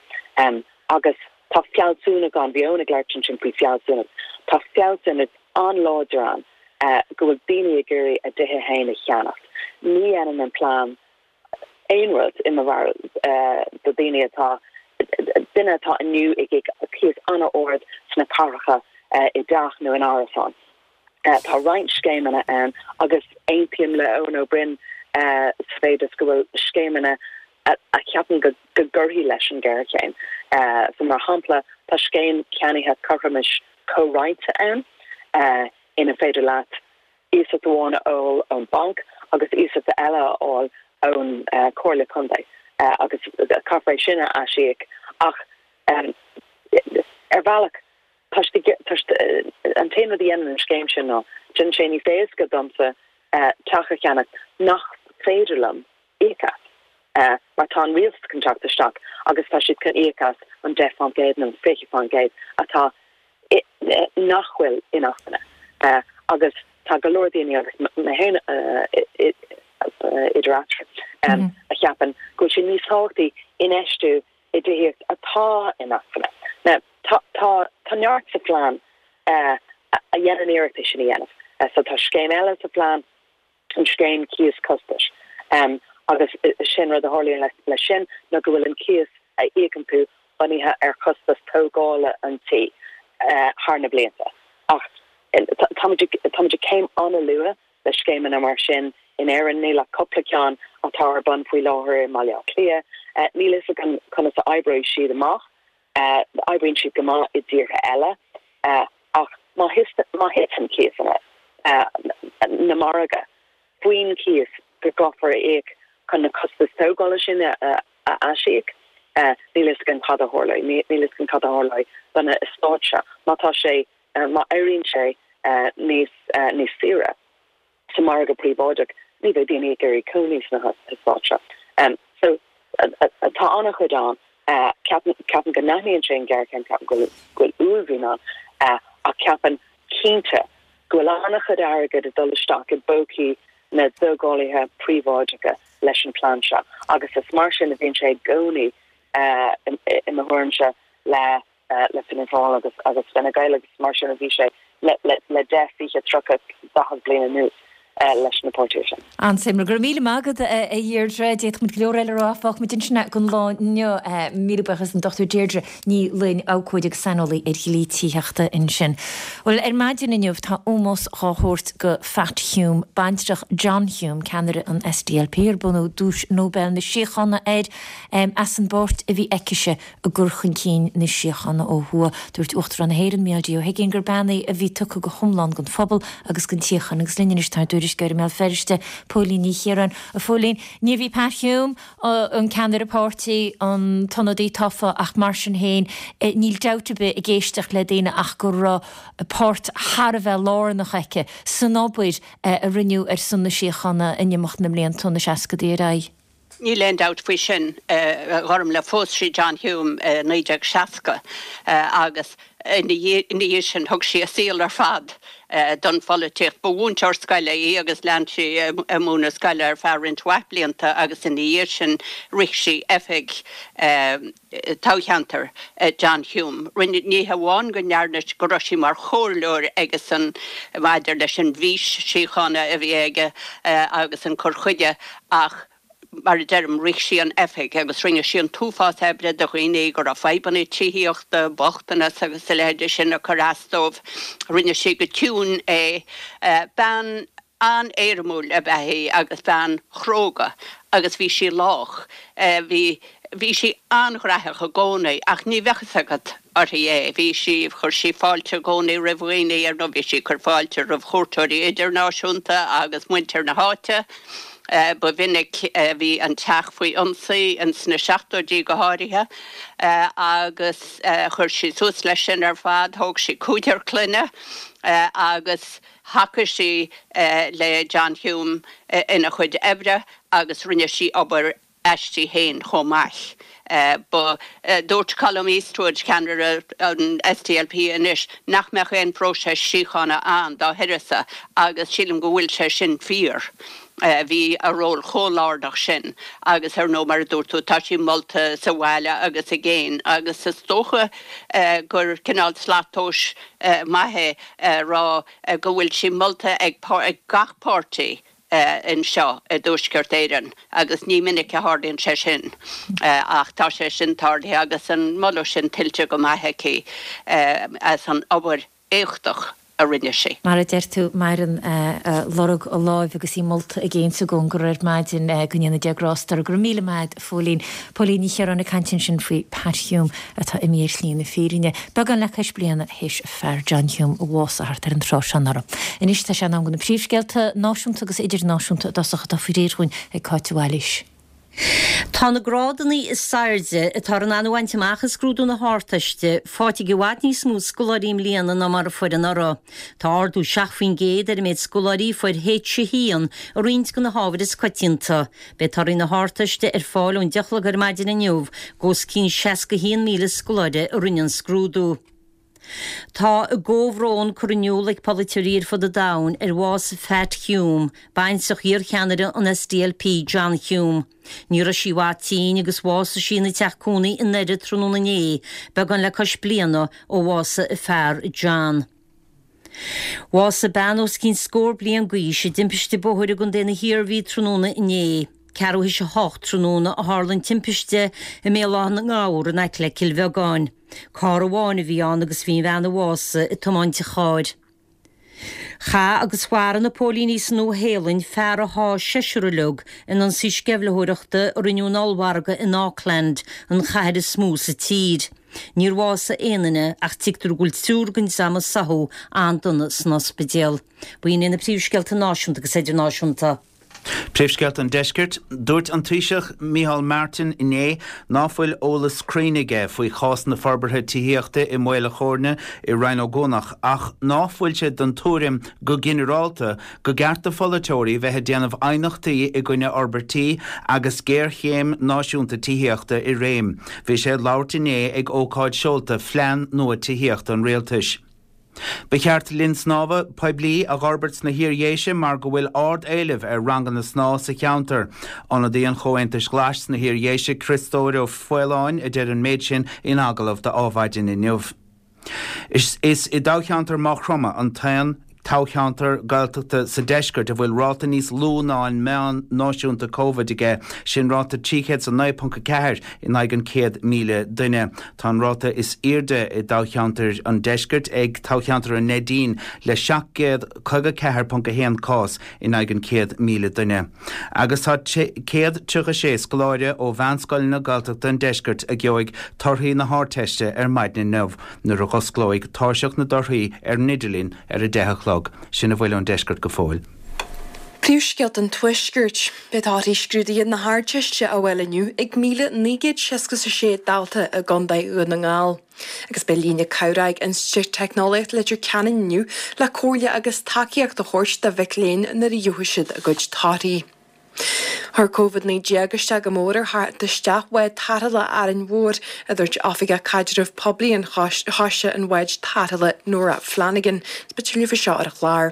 Agus tá fealsúnacht ann, bhí Eoin ag labhairt ansin faoi fealsúnacht, tá fealsúnacht an-láidir ann go bhfuil daoine ag iarraidh a dtithe féin a cheannacht. Ní dhéanann an plean aon rud, i mo bharúil, do dhaoine atá, duine atá inniu ag íoc cíos an-ard sna cathracha i dteach nó in árasán. Tá roinnt scéimeanna ann agus aontaím le Eoin Ó Broin sa mhéid is go bhfuil scéimeanna a cheapaim go gcuirfidh leis an ghéarchéim. So mar shampla, tá scéim ceannaithe cothromais comhroinnte ann ina féidir leat iasacht amháin a fháil ón banc agus iasacht eile a fháil ón Chomhairle Contae agus caithfear é sin a aisíoc ach ar bhealach tá an t-aon rud a dhéanann an scéim sin ná déanann sé níos éasca domsa teach a cheannach nach féidir liom íoc as mar tá an rialtas chun teacht isteach agus tá siad chun íoc as an 10% nó an 20% atá nach bhfuil inacmhainne agus tá go leor daoine, agus mé féin idir eatarthu, a cheapann go bhfuil sé níos tábhachtaí infheistiú i dtithíocht atá inacmhainne. Now, tá, tá, tá neart sa phlean a dhéanann iarracht é sin a dhéanamh. So tá scéim eile sa phlean an scéim cíos costais agus sin rud a tharlaíonn leis sin ná go bhfuil an cíos a íocann tú bunaithe ar chostas tógála an tí thar na blianta. Ach táimid táimid ag céim an-luath le scéimeanna mar sin in Éirinn. Níl ach cúpla ceann atá ar bun faoi láthair i mBaile Átha Cliath. Níl fhios againn conas a oibreoidh siad amach. Oibríonn siad go maith i dtíortha eile ach má thiteann cíosanna na margaidh faoin cíos go gcaithfear a íoc chun na costais tógála sin a aisíoc, níl fhios againn cad a tharlóidh. Níl fhios againn cad a tharlóidh do na eastáit seo má tá sé, má éiríonn sé níos níos saoire. sa mhargadh príobháideach, ní bheidh daoine ag iarraidh cónaí sna heastáit seo. So, tá an-chuid ann. Ceapaim, ceapaim go n-aithníonn sé an ghéarchéim, ceapaim go bhfuil, go bhfuil uaillmhian ann, ach ceapaim cinnte go bhfuil an-chuid airgid ag dul isteach i bpócaí na dtógálaithe príobháideacha leis an plean seo agus is mar sin a bhíonn sé i gcónaí, i mo thuairimse, le. le Fianna Fáil agus agus Fine Gael agus mar sin a bhí sé le le le 10, 20, 30, 40 bliain anuas leis na páirtithe sin. An-suimiúil. Go raibh míle maith agat a Dheirdre. D'fhéadfadh muid go leor eile a rá ach fágfaidh muid ansin é don lá inniu. Míle buíochas an Dr Deirdre Ní Fhloinn, abhcóide agus saineolaí ar dhlí tithíochta ansin. Bhuel, ar maidin inniu tá ómós dhá thabhairt go Phat Hume, baintreach John Hume, ceannaire an SDLP ar bronnadh Duais Nobel na Síochána air as an bpáirt a bhí aicise i gcur chun cinn na síochána ó thuaidh. Dúirt Uachtarán na hÉireann, Micheál D. Ó hUiginn, gur bean í a bhí tugtha go hiomlán don phobal agus don tsíocháin. Agus linn anois tá ár dtuairisceoir i mBéal Feirste, Póilín Ní Chiaráin. A Phóilín, níorbh í Pat Hume an ceannaire páirtí, an t-ionadaí tofa ach mar sin féin, níl dabht ar bith ag éisteacht le daoine ach go raibh páirt thar a bheith lárnach aici san obair a rinneadh ar son na síochána in imeacht na mblianta ó na seascadaí ar aghaidh. Níl aon dabht faoi sin, a Ghormlaith. Phós sí John Hume i 1960 agus ina dhiaidh sin thug sí a saol ar fad don pholaitíocht. Ba mhúinteoir scoile í agus lean sí ag múineadh scoile ar feadh roinnt mhaith blianta agus ina dhiaidh sin rith sí oifig toghcheantair John Hume. Rinne, ní hamháin go ndearna, go raibh sí mar chomhairleoir aigesean maidir leis an bhfís síochána a bhí aige agus an cur chuige ach mar a deirim, rith sí an oifig agus rinne sí an t-uafás oibre do dhaoine go raibh fadhbanna tithíochta, bochtanas agus a leithéide sin ag cur as dóibh. Rinne sí go ciúin é. Bean an-éirimiúil ab ea í agus bean chróga agus bhí sí lách. Bhí, bhí sí an-ghraitheach i gcónaí ach ní bheadh fhios agat uirthi é. Bhí sí, chuir sí fáilte i gcónaí roimh dhaoine, ar ndóigh bhí sí ag cur fáilte roimh chuairteoirí idirnáisiúnta agus muintir na háite. Ba mhinic a bhí an teach faoi ionsaí, ins na seachtóidí go háirithe, agus chuir sí suas leis sin ar fad. Thóg sí cúigear clainne agus thacaigh sí le John Hume ina chuid oibre agus rinne sí obair aisti féin chomh maith. Ba, dúirt Colum Eastwood, ceannaire an SDLP anois, nach mbeadh aon phróiseas síochána ann dá huireasa agus sílim go bhfuil sé sin fíor. Bhí a ról chomh lárnach sin agus ar ndóigh mar a dúirt tú tá sí molta sa bhaile agus i gcéin agus is dócha gur cineál slat tomhais maith é a rá go bhfuil sí molta ag gach páirtí anseo i dTuaisceart Éireann agus ní minic a tharlaíonn sé sin ach tá sé sin tarlaithe agus an moladh sin tuillte go maith aici as an obair éachtach a rinne sí. Mar a deir tú, maireann lorg a láimhe agus í molta i gcéin is i gcóngar ar maidin, go ndéana Dia grásta uirthi. Go raibh míle maith agat, a Phóilín. Póilín Ní Chiaráin ag caint ansin faoi Pat Hume atá imithe ar shlí na fírinne. Beagán le cois bliana théis a fear John Hume a bhásaigh thart ar an tráth seo anuraidh. Anois tá sé in am do na príomhscéalta náisiúnta agus idirnáisiúnta i dtosach atá faoi réir dhúinn ag Cáit de Bhailís. Tá na grádanna is airde atáthar in ann a bhaint amach i scrúdú na hArdteiste faighte ag i bhfad níos mó scoláirí i mbliana ná mar a fuair anuraidh. Tá ardú 7% ar an méid scoláirí a fuair H1 i roinnt de na hábhair is coitianta. Beidh torthaí na hArdteiste ar fáil ón 10 a chlog ar maidin inniu d'os cionn 61,000 scoláire a rinne an scrúdú. Tá a gcomhbhrón curtha in iúl ag polaiteoirí ar fud an domhain ar bhás Phat Hume, baintreach iarcheannaire an SDLP John Hume. Ní raibh sí i bhfad tinn agus bhásaigh sí ina teach cónaí i nDoire tráthnóna inné, beagán le cois bliana ó bhásaigh a fear John. Bhásaigh bean os cionn scór bliain d'aois i dtimpiste bóthair i gContae na hIarmhí tráthnóna inné. Ceathrú théis a hocht tráthnóna a tharla an timpiste i mBéal Átha na nGabhar in aice le Cill Bheagáin. Carr amháin a bhí ann agus bhí an bhean a bhásaigh ag tiomáint an chairr. Chaith agus mharaigh na póilíní sa Nua-Shéalainn fear a sháigh seisear uilig in ionsaí sceimhlitheoireachta a rinneadh in ollmhargadh in Auckland, an chathair is mó sa tír. Níor bhásaigh aon duine ach tuigtear go bhfuil triúr den dream a sáthadh an-dona san ospidéal. B'in iad na príomhscéalta náisiúnta agus idirnáisiúnta. Príomhscéalta an Deiscirt, Dúirt an Taoiseach Micheál Martin inné ná fuil eolas cruinn aige faoi chás na forbartha tithíochta i Maol a' Chóirne i Rinn Ó gCuanach ach ná fuil sé den tuairim go ginearálta go gceart do pholaiteoirí bheith ag déanamh aighneachtaí i gcoinne fhorbairtí agus géarchéim náisiúnta tithíochta i réim. Bhí sé ag labhairt inné ag ócáid seolta phlean nua tithíochta an Rialtais. Ba cheart linn snámha poiblí a dh'fhorbairt sna hIar-Dhéise mar go bhfuil ard-éileamh ar ranganna snámha sa cheantar. Ionadaí an Chomhaontais Ghlais sna hIar-Dhéise, Criostóir Ó Faoláin, a deir an méid sin in agallamh do Adhmhaidin inniu. Is i dtoghcheantar Mhaigh Chromtha an t-aon toghcheantar Gaeltachta sa deisceart a bhfuil ráta níos lú ná an meán náisiúnta Covid aige, sin ráta 309.4 in aghaidh an 100,000 duine. Tá an ráta is airde i dtoghcheantar an deiscirt ag toghcheantar an Neidín le 754.1 cás in aghaidh an 100,000 duine. Agus tá 136 scoláire ó mheánscoileanna Gaeltachta an deiscirt a gheobhaidh torthaí na hArdteiste ar maidin inniu nuair a dh'osclóidh tairseach na dtorthaí ar an idirlíon ar 10 a chlog. Sin a bhfuil ón deisceart go fóill. Príomhscéalta an Tuaiscirt. Beidh torthaí scrúduithe na hArdteiste á bhfáil inniu ag 1,966 dalta i gContae Dhún na nGall. Agus beidh líne cabhrach ag Institiúid Teicneolaíochta Leitir Ceanainn inniu le comhairle agus tacaíocht a thabhairt do mhic léinn nuair a gheobhaidh siad a gcuid torthaí. Chuir Covid-19 isteach go mór ar theacht isteach bhád tarrthála Árainn Mhór, a dúirt Oifigeach Caidrimh Poiblí an Choiste an Bháid Tarrthála, Nora Flanagan. Beidh tuilleadh faoi seo ar an chlár.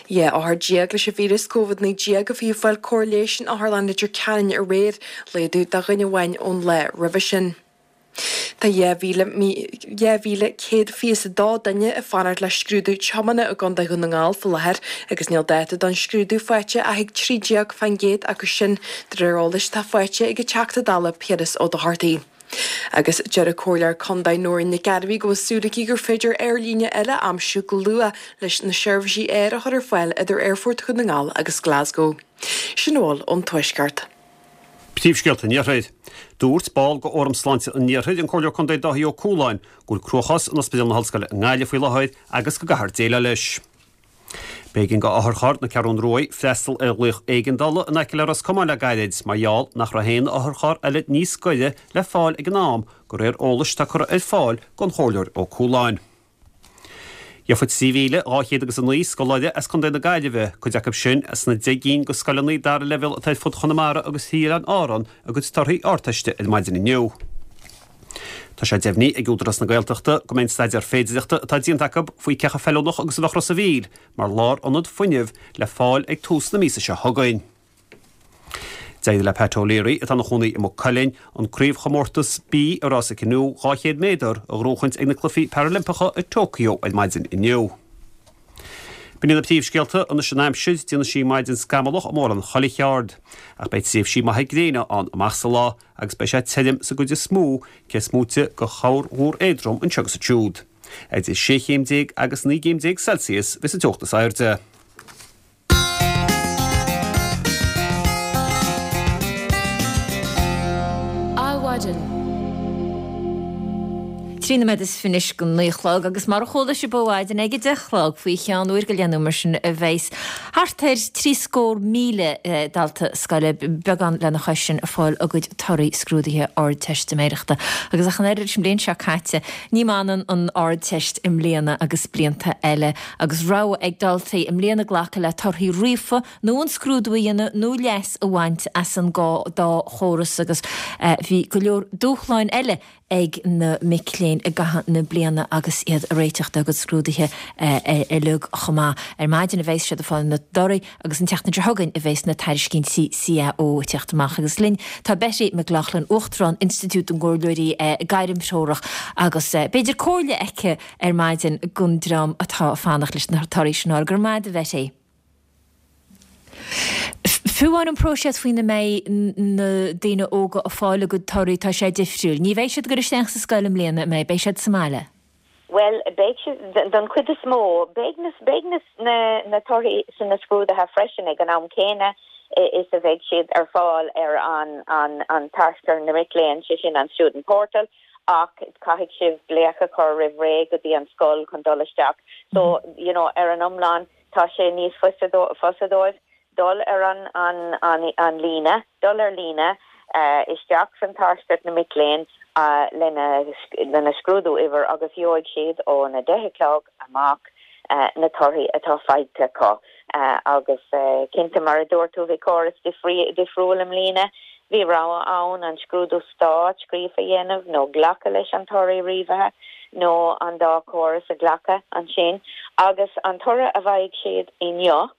12 othar leis an víreas Covid-19 a bhí ag fáil cóir leighis in Otharlann Leitir Ceanainn aréir, laghdú de dhuine amháin ón lá roimhe sin. Tá 2,122 duine ag fanacht le scrúdú tiomána i gContae Dhún na nGall faoi láthair agus níl dáta don scrúdú faighte ach ag 13% acu sin, de réir eolais atá faighte ag an Teachta Dála Piaras Ó Dochartaigh. Agus deir an Comhairleoir Contae Nóirín Nic Gairbhí go bhfuil súil aici gur féidir aerlíne eile a aimsiú go luath leis na seirbhísí aeir a chur ar fáil idir Aerfort Dhún na nGall agus Glasgow. Sin a bhfuil ón Tuaisceart. Príomhscéalta an Iarthair. Dúirt ball de Fhóram Sláinte an Iarthair, an Comhairleoir Contae Dáithí Ó Cualáin, go bhfuil cruachás in Ospidéal na hOllscoile i nGaillimh faoi láthair agus go gcaithfear déileáil leis. B'éigean do otharcharr na Ceathrún Ruaidh freastal ar ghlaoch éigeandála in aice le Ros Comáin le gairid mar gheall nach raibh aon otharcharr eile níos gaire le fáil ag an am, de réir eolais atá curtha ar fáil don Chomhairleoir Ó Cualáin. Gheobhaidh 3,200 agus 9 scoláire as Contae na Gaillimhe, cuid acu sin as na 10 gcinn de scoileanna dara leibhéal atá ar fud Chonamara agus thrí Oileáin Árann, a gcuid torthaí Ardteiste ar maidin inniu. Tá sé deimhnithe ag Údarás na Gaeltachta go mbeidh an staidéar féidireachta atá déanta acu faoi cé chomh feiliúnach agus a bheadh Ros a' Mhíl mar lárionad fuinnimh le fáil ag tús na míosa seo chugainn. D'éirigh le Pat O'Leary, atá ina chónaí i Maigh Cuilinn, an craobhchomórtas B i rása canoe 200 méadar a ghnóchaint ag na Cluichí Parailimpeacha i Tokyo ar maidin inniu. B'in iad na príomhscéalta anois an aimsir, déanfaidh sí maidin scamallach i mórán chuile cheard. Ach beidh tréimhsí maithe gréine ann amach sa lá agus beidh sé tirim sa gcuid is mó, cé is móite de chorrmhúr éadrom anseo agus ansiúd. Idir sé chéim déag agus 19 gcéim Celsius bheas an teocht is airde. Adhmhaidin. 13 nóiméad anois go 9 a chlog agus mar a chuala sibh ó mhaidin ag a 10 a chlog faoi cheann uair go leith nó mar sin a bheas thart ar 73,000 dalta scoile, beagán lena chois sin, ag fáil a gcuid torthaí scrúduithe Ardteistiméireachta. Agus ach an oiread leis an mbliain seo caite, ní mbaineann an Ardteist i mbliana agus blianta eile, agus rogha ag daltaí i mbliana glacadh le torthaí ríofa nó an scrúdú a dhéanamh nó leas a bhaint as an dá chóras agus bhí go leor dúshláin eile ag na mic léinn i gcaitheamh na bliana agus iad ag réiteach dá gcuid scrúduithe uilig chomh maith. Ar maidin a bheas siad ag fáil na dtorthaí agus an tseachtain seo chugainn a bheas na tairiscintí CAO ag teacht amach. Agus linn tá Betty McLaughlin, Uachtarán Institiúid na gComhairleoirí Gairmthreorach agus b'fhéidir comhairle aici ar maidin don dream atá ag fanacht leis na torthaí sin a fháil. Go raibh maith agat a Bhetty. Fiú amháin an próiseas faoina mbeidh na daoine óga ag fáil a gcuid torthaí, tá sé difriúil. Ní bheidh siad ag dul isteach sa scoil i mbliana, an mbeidh? Beidh siad sa mbaile. Bhuel, beidh siad, don chuid is mó, beidh na, beidh na, na, na torthaí sna scrúduithe freisin ag an am céanna is a bheidh siad ar fáil ar an, an, an tairseach na mic léinn, sé sin an student portal, ach caithfidh sibh glaoch a chur roimh ré go dtí an scoil chun dul isteach. So, you know, ar an iomlán, Tá sé níos fusa dóibh dul ar an líne, dul ar líne isteach san tairseach na mic léinn lena scrúdú uimhir agus gheobhaidh siad ón 10 a chlog amach na torthaí atá faighte acu. Agus cinnte, mar a dúirt tú, bhí córas difriúil i mbliana. Bhí rogha ann an scrúdú stáit scríofa a dhéanamh nó glacadh leis an torthaí ríomhaithe. nó an dá chóras a ghlacadh ansin agus an toradh a bhfaighidh siad inniu,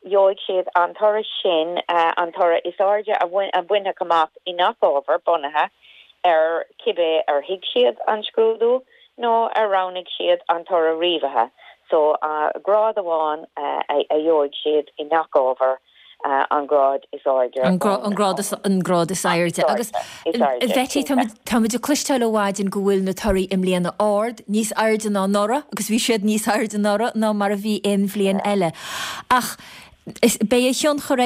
gheobhaidh siad an toradh sin, an toradh is airde a bhainfeadh amach i ngach ábhar, bunaithe ar cibé ar thuig siad an scrúdú nó ar roghnaigh siad an toradh ríomhaithe. So, grád amháin a gheobhaidh siad i ngach ábhar. an grád is airde. An grád is airde. Agus a Bheití, tá muid ag cloisteáil ó mhaidin go bhfuil na torthaí i mbliana ard, níos airde ná anuraidh, agus bhí siad níos airde anuraidh ná mar a bhí aon bhliain eile. Ach beidh a thionchar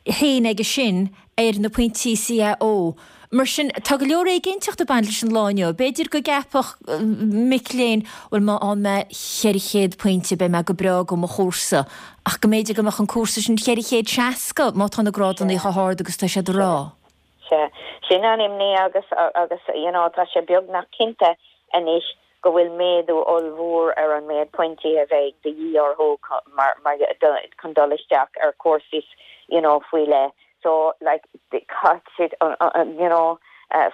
féin aige sin ar na pointí CAO. Mar sin, tá go leor éiginnteacht ag baint leis an lá inniu. B'fhéidir go gceapfadh mic léinn, bhuel, má fhaigheann mé 400 pointe, beidh mé go breá do mo chúrsa. Ach go mb'fhéidir go mbeadh an cúrsa sin 460 má tá na grádanna chomh hard agus tá siad a rá. Sea. Sin an imní agus, agus, you know, tá sé beagnach cinnte anois go bhfuil méadú ollmhór ar an méid pointí a bheidh de dhíth orthu mar, mar, chun dul isteach ar chúrsaí, you know, faoi leith. So, like, caithfidh siad, you know,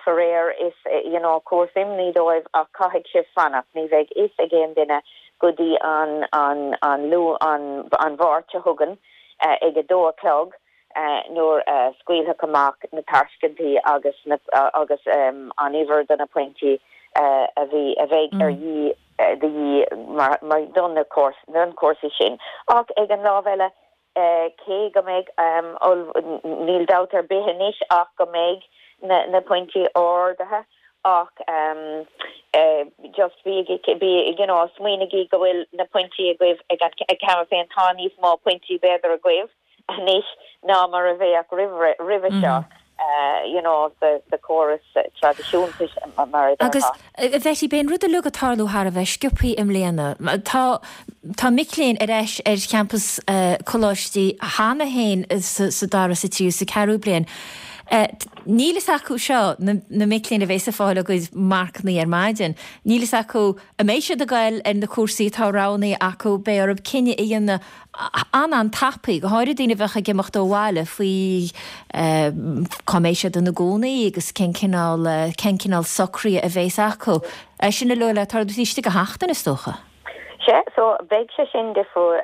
faraor is, you know, cúis imní dóibh ach caithfidh sibh fanacht, ní bheidh fhios ag aon duine go dtí an, an, an Luan, an, an Mháirt seo chugainn ag a dó a chlog nuair a scaoilfeadh amach na tairscintí agus na, agus an uimhir de na pointí a bhí, a bheidh ar dhíth, de dhíth mar, mar, don na cúrsaí, don chúrsaí sin. Ach ag an lámh eile, Cé go mbeidh, níl dabht ar bith anois ach go mbeidh na pointí ardaithe ach just bígí, you know, smaoinigí go bhfuil na pointí agaibh ag an, cheana féin, tá níos mó pointí b'fhéidir agaibh anois ná mar a bheadh roimhe seo. you know, sa chóras traidisiúnta, mar a déarfá. Agus, a Bheití, beidh an rud uilig ag tarlú thar a bheith sciobthaí i mbliana. Tá, tá mic léinn ar ais ar champas coláistí cheana féin sa dara, sa tríú, sa ceathrú bliain. Níl fhios acu seo, na mic léinn a bheas ag fáil a gcuid marcannaí ar maidin, níl fhios acu an mbeidh siad ag goil ar na cúrsaí atá roghnaithe acu, beidh orthu cinneadh a dhéanamh an-an-tapaidh, go háirid daoine a bheadh ag imeacht ó bhaile, faoi cá mbeidh siad ina gcónaí agus cén cineál, cén cineál socruithe a bheas acu. É sin uilig le tarlú taobh istigh de sheachtain, is dócha. Sea, so beidh sé sin difriúil,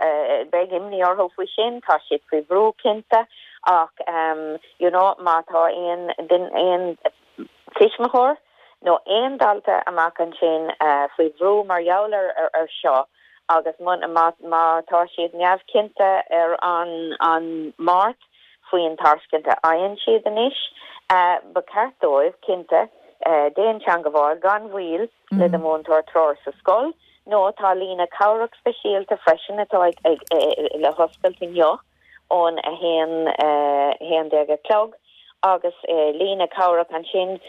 beidh imní orthu faoi sin, tá siad faoi bhrú cinnte ach you know má tá aon duine, aon tuismitheoir nó aon dalta amach ansin faoi bhrú mar gheall ar seo agus má tá siad neamhchinnte ar an Máirt faoin tairscint a fhaigheann siad anois, ba cheart dóibh, cinnte, déan teangabháil gan mhoill le do mhúinteoir treoir sa scoil nó tá líne cabhrach speisialta freisin atá le hoscailt inniu. ón 1, 11 a chlog agus líne cabhrach ansin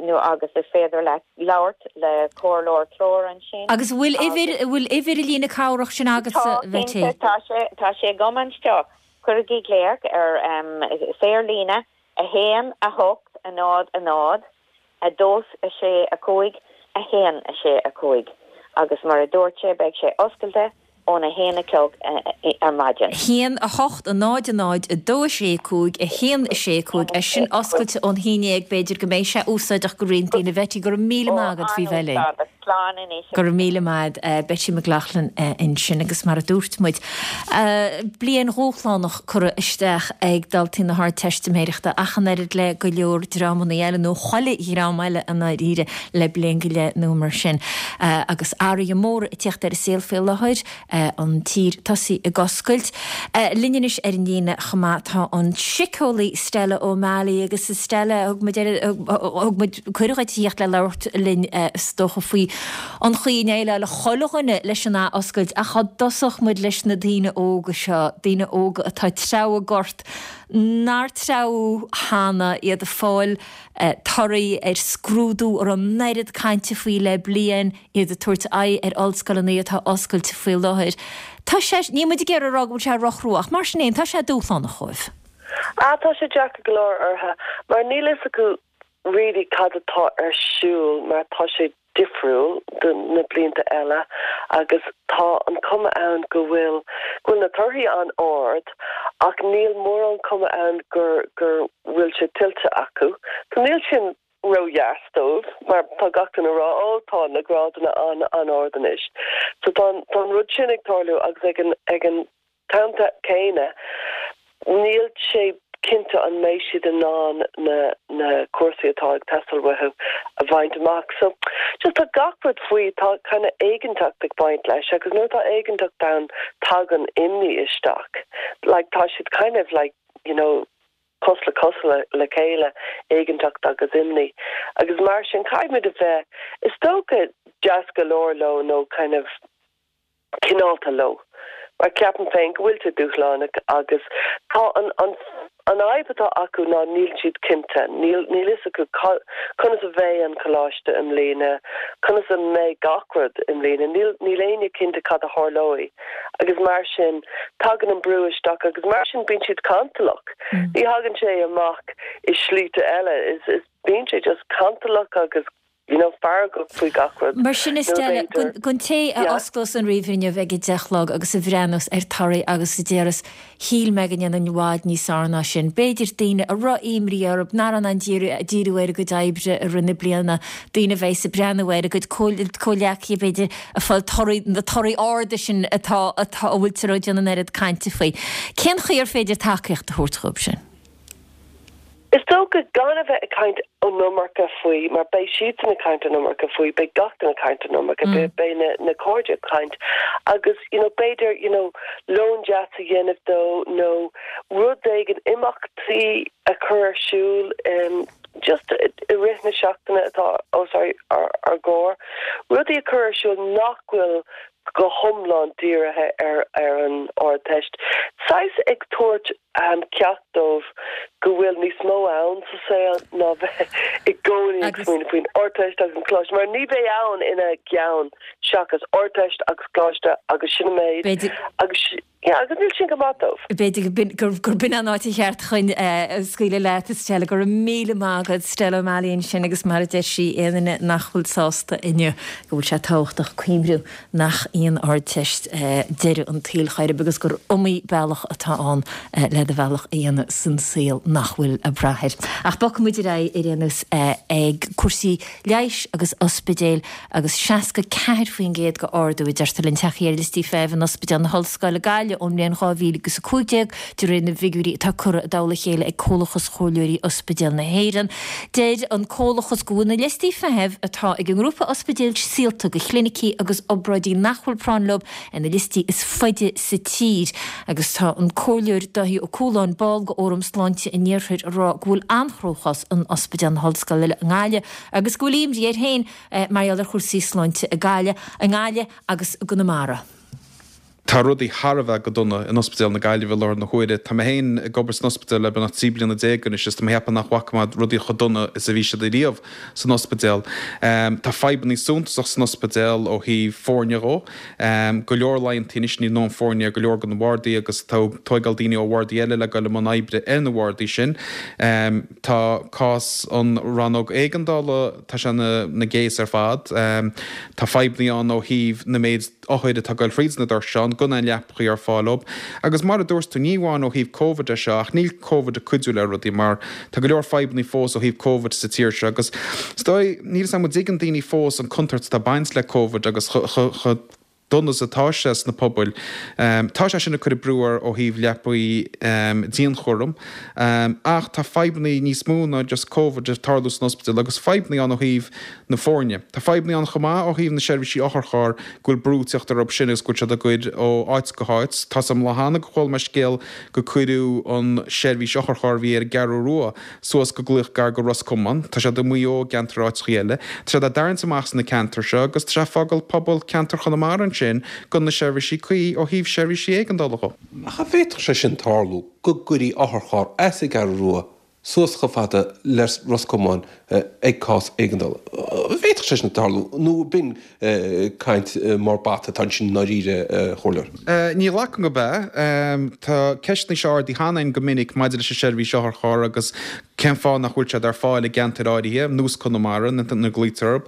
nó agus is féidir leat labhairt le comhairleoir treoir ansin. Agus an bhfuil uimhir, an bhfuil uimhir an líne cabhrach sin agatsa, Tá, Bheití? cinnte, tá sé, tá sé agam anseo. Cuirigí glaoch ar saorlíne 1 8 0 0 2 6 5 1 6 5 agus mar a dúirt sé beidh sé oscailte ón 1 a chlog ar maidin. 1 8 0 0 2 6 5 1 6 5 é sin oscailte ón haon dhéag b'fhéidir go mbeidh sé úsáideach go roinnt daoine. Bheití, go raibh míle maith agat faoi bheith linn. An-úsáideach. Slán anois. Go raibh míle maith agat. Betty McLaughlin ansin agus mar a dúirt muid, bliain dhúshlánach curtha isteach ag daltaí na hArdteistiméireachta ach an oiread le go leor dreamanna eile, nó chuile dhream eile i ndáiríre, le bliain go leith nó mar sin. Agus athruithe móra ag tíocht ar an saol faoi láthair, an tír tosaithe ag oscailt. Linn anois ar an líne chomh maith tá an síceolaí Stella O'Malley agus a Stella, thug muid thug muid cuireadh dhuit a thíocht le labhairt linn is dócha faoi an chaoi a ndéileálfaidh chuile dhuine leis an athoscailt ach dá dtosódh muid leis na daoine óga seo, daoine óga atá ag treabhadh gort nár treabhadh cheana, iad ag fáil torthaí ar scrúdú a raibh an oiread cainte faoi le bliain, iad ag tabhairt aghaidh ar ollscoileanna atá oscailte faoi láthair. Tá sé, níl muid ag iarraidh a rá go bhfuil sé rochrua ach mar sin fhéin tá sé dúshlánach dhóibh. Ah, tá sé deacair go leor orthu mar níl fhios acu really cad atá ar siúl mar tá sé difriúil do na blianta eile agus tá an cuma ann go bhfuil go bhfuil na torthaí an-ard ach níl mórán cuma ann gur gur bhfuil sé tuillte acu. So níl sin ródheas dóibh mar tá gach duine ag rá ó tá. tá na grádanna an-ard anois. So tá an rud sin ag tarlú agus ag an ag an t-am céanna níl sé cinnte an mbeidh siad in ann na na cúrsaí atá ag teastáil uathu a bhaint amach. So just tá gach rud faoi, tá kind of éiginnteacht ag baint leis agus nuair atá éiginnteacht ann tagann imní isteach. Like tá siad kind of like, you know, cos le cos le chéile, éiginnteacht agus imní. Agus mar sin caithfimid a bheith, is dócha, deas go leor leo nó kind of cineálta leo. Mar ceapaim féin go bhfuil sé dúshlánach agus tá an an an fhadhb atá acu ná níl siad cinnte, níl níl fhios acu conas a bheidh an coláiste i mbliana, conas a mbeidh gach rud i mbliana, níl níl éinne cinnte cad a tharlóidh agus mar sin tagann an brú isteach agus mar sin bíonn siad cantalach. Ní thagann sé amach i slíte eile, is is bíonn sé just cantalach agus you know, feargach faoi gach rud. Mar sin a Stella, don té a osclós an ríomhaire inniu ag a deich a chlog agus a bhreathnós ar torthaí agus a déarfas, shíl mé go ndéanfainn i bhfad níos fearr ná sin. B'fhéidir daoine a raibh imní orthu, nach raibh in ann díriú ar a gcuid oibre i rith na bliana, daoine a bheas ag breathnú ar a gcuid comhghleacaithe b'fhéidir ag fáil torthaí, na torthaí arda sin atá, atá, a bhfuiltear ag déanamh an oiread cainte faoi. Cén chaoi ar féidir tacaíocht a thabhairt dhóibh sin? Is dócha gan a bheith ag caint an iomarca faoi, mar beidh siadsan ag caint an iomarca faoi, beidh gach duine ag caint an iomarca, beidh na na cairde ag caint agus you know b'fhéidir you know lón deas a dhéanamh dó nó rud éigin, imeachtaí a chur ar siúl just i rith na seachtaine atá os ár gcomhair, rudaí a chur ar siúl nach bhfuil go hiomlán dírithe ar ar an Ardteist. Saghas ag tabhairt ceacht dóibh go bhfuil níos mó ann sa saol ná bheith i gcónaí ag smaoineamh faoin Ardteist agus an Coláiste, mar ní bheidh ann ina gceann seachas Ardteist agus Coláiste agus sin an méid agus yeah agus níl sin go maith dóibh. B'fhéidir gur b'in an áit cheart chun scaoileadh leat, a Stella. Go raibh míle maith agat, Stella O'Malley ansin agus mar a deir sí, aon duine nach bhfuil sásta inniu go bhfuil sé tábhachtach cuimhniú nach í an Ardteist deireadh an tsaoil chor ar bith agus gur iomaí bealach atá ann le do bhealach a dhéanamh san saol nach bhfuil ag brath air. Ach bogfaidh muid ar aghaidh ar aon nós ag cúrsaí leighis agus ospidéil agus 64% de ardú a deirtear linn tagtha ar liostaí feithimh in Ospidéal na hOllscoile Gaillimh ón mbliain 2015 de réir na bhfigiúirí atá curtha i dtoll a chéile ag Comhlachas Chomhairleoirí Ospidéal na hÉireann. Deir an Comhlachas go bhfuil na liostaí feithimh atá ag an ngrúpa ospidéil saolta do chlinicí agus obráidí nach bhfuil práinn leo ar na liostaí is faide sa tír agus tá an Comhairleoir Dáithí Ó Cualáin, ball de Fhóram Sláinte an Iarthair, ag rá go bhfuil an-chruachás in Ospidéal na hOllscoile i nGaillimh agus go bhfuil imní air féin mar gheall ar chúrsaí sláinte i Gaillimh agus i gConamara. Tá rudaí thar a bheith go dona in Ospidéal na Gaillimhe i láthair na huaire. Tá mé féin ag obair san ospidéal le beagnach 13 bliana anois is tá mé ag ceapadh nach bhfaca mé rudaí chomh dona is a bhí siad ariamh san ospidéal. Tá fadhbannaí suntasach san ospidéal ó thaobh foirne dhó. Go leor laethanta anois níl a ndóthain foirne ar go leor de na bhardaí agus tá tóigeáil daoine ó bhardaí eile le goil i mbun oibre ar na bhardaí sin. Tá cás an rannóg éigeandála, tá sé ina gcéas ar fad. Tá fadhbannaí ann ó thaobh na méid othair atá ag goil thríd na doirse ann, gan aon leapachaí ar fáil dóibh. Agus mar a dúirt tú, ní amháin ó thaobh Covid é seo, ach níl Covid ag cuidiú le rudaí mar tá go leor fadhbannaí fós ó thaobh Covid sa tír seo agus is dóigh, níl 'fhios a'm an dtuigeann daoine fós an contúirt atá ag baint le Covid agus chomh dona is atá sé sna pobail. Tá sé sin ag cur brú ar ó thaobh leapaí dianchúraim ach tá fadhbannaí níos mó ná just Covid ag tarlú san ospidéal agus fadhbannaí ann ó thaobh na foirne. Tá fadhbanna ann chomh maith ó thaobh na seirbhísí otharchairr, go bhfuil brú ag teacht orthu sin agus go bhfuil siad á gcur ó áit go háit. Tá 's a'm lá cheana gur chuala mé scéal go cuireadh an seirbhís otharchairr a bhí ar an gCeathrú Rua suas go glaoch gar go Ros Comáin. Tá siad i Maigh Eo i gceantar áiteachaí eile. Tá siad á dtarraingt amach sna ceantair seo agus tá sé ag fágáil pobal ceantar Chonamara ansin gan na seirbhísí cuí ó thaobh seirbhísí éigeandála dhó. Ach an bhféadfadh sé sin tarlú go gcuirí otharcharr as an gCeathrú Rua suas chomh fada le Ros Comáin ag cás éigeandála. An bhféadfadh sé sin tarlú nó b'in caint mar bata atá ansin i ndáiríre, a Chomhairleoir? Ní ghlacaim gurb ea. Tá ceisteanna seo ardaithe cheana féin go minic maidir leis an seirbhís otharcharr agus. Cén fáth nach bhfuil siad ar fáil i gceantair áirithe, nós Conamara, nuair a ghlaoitear orthu?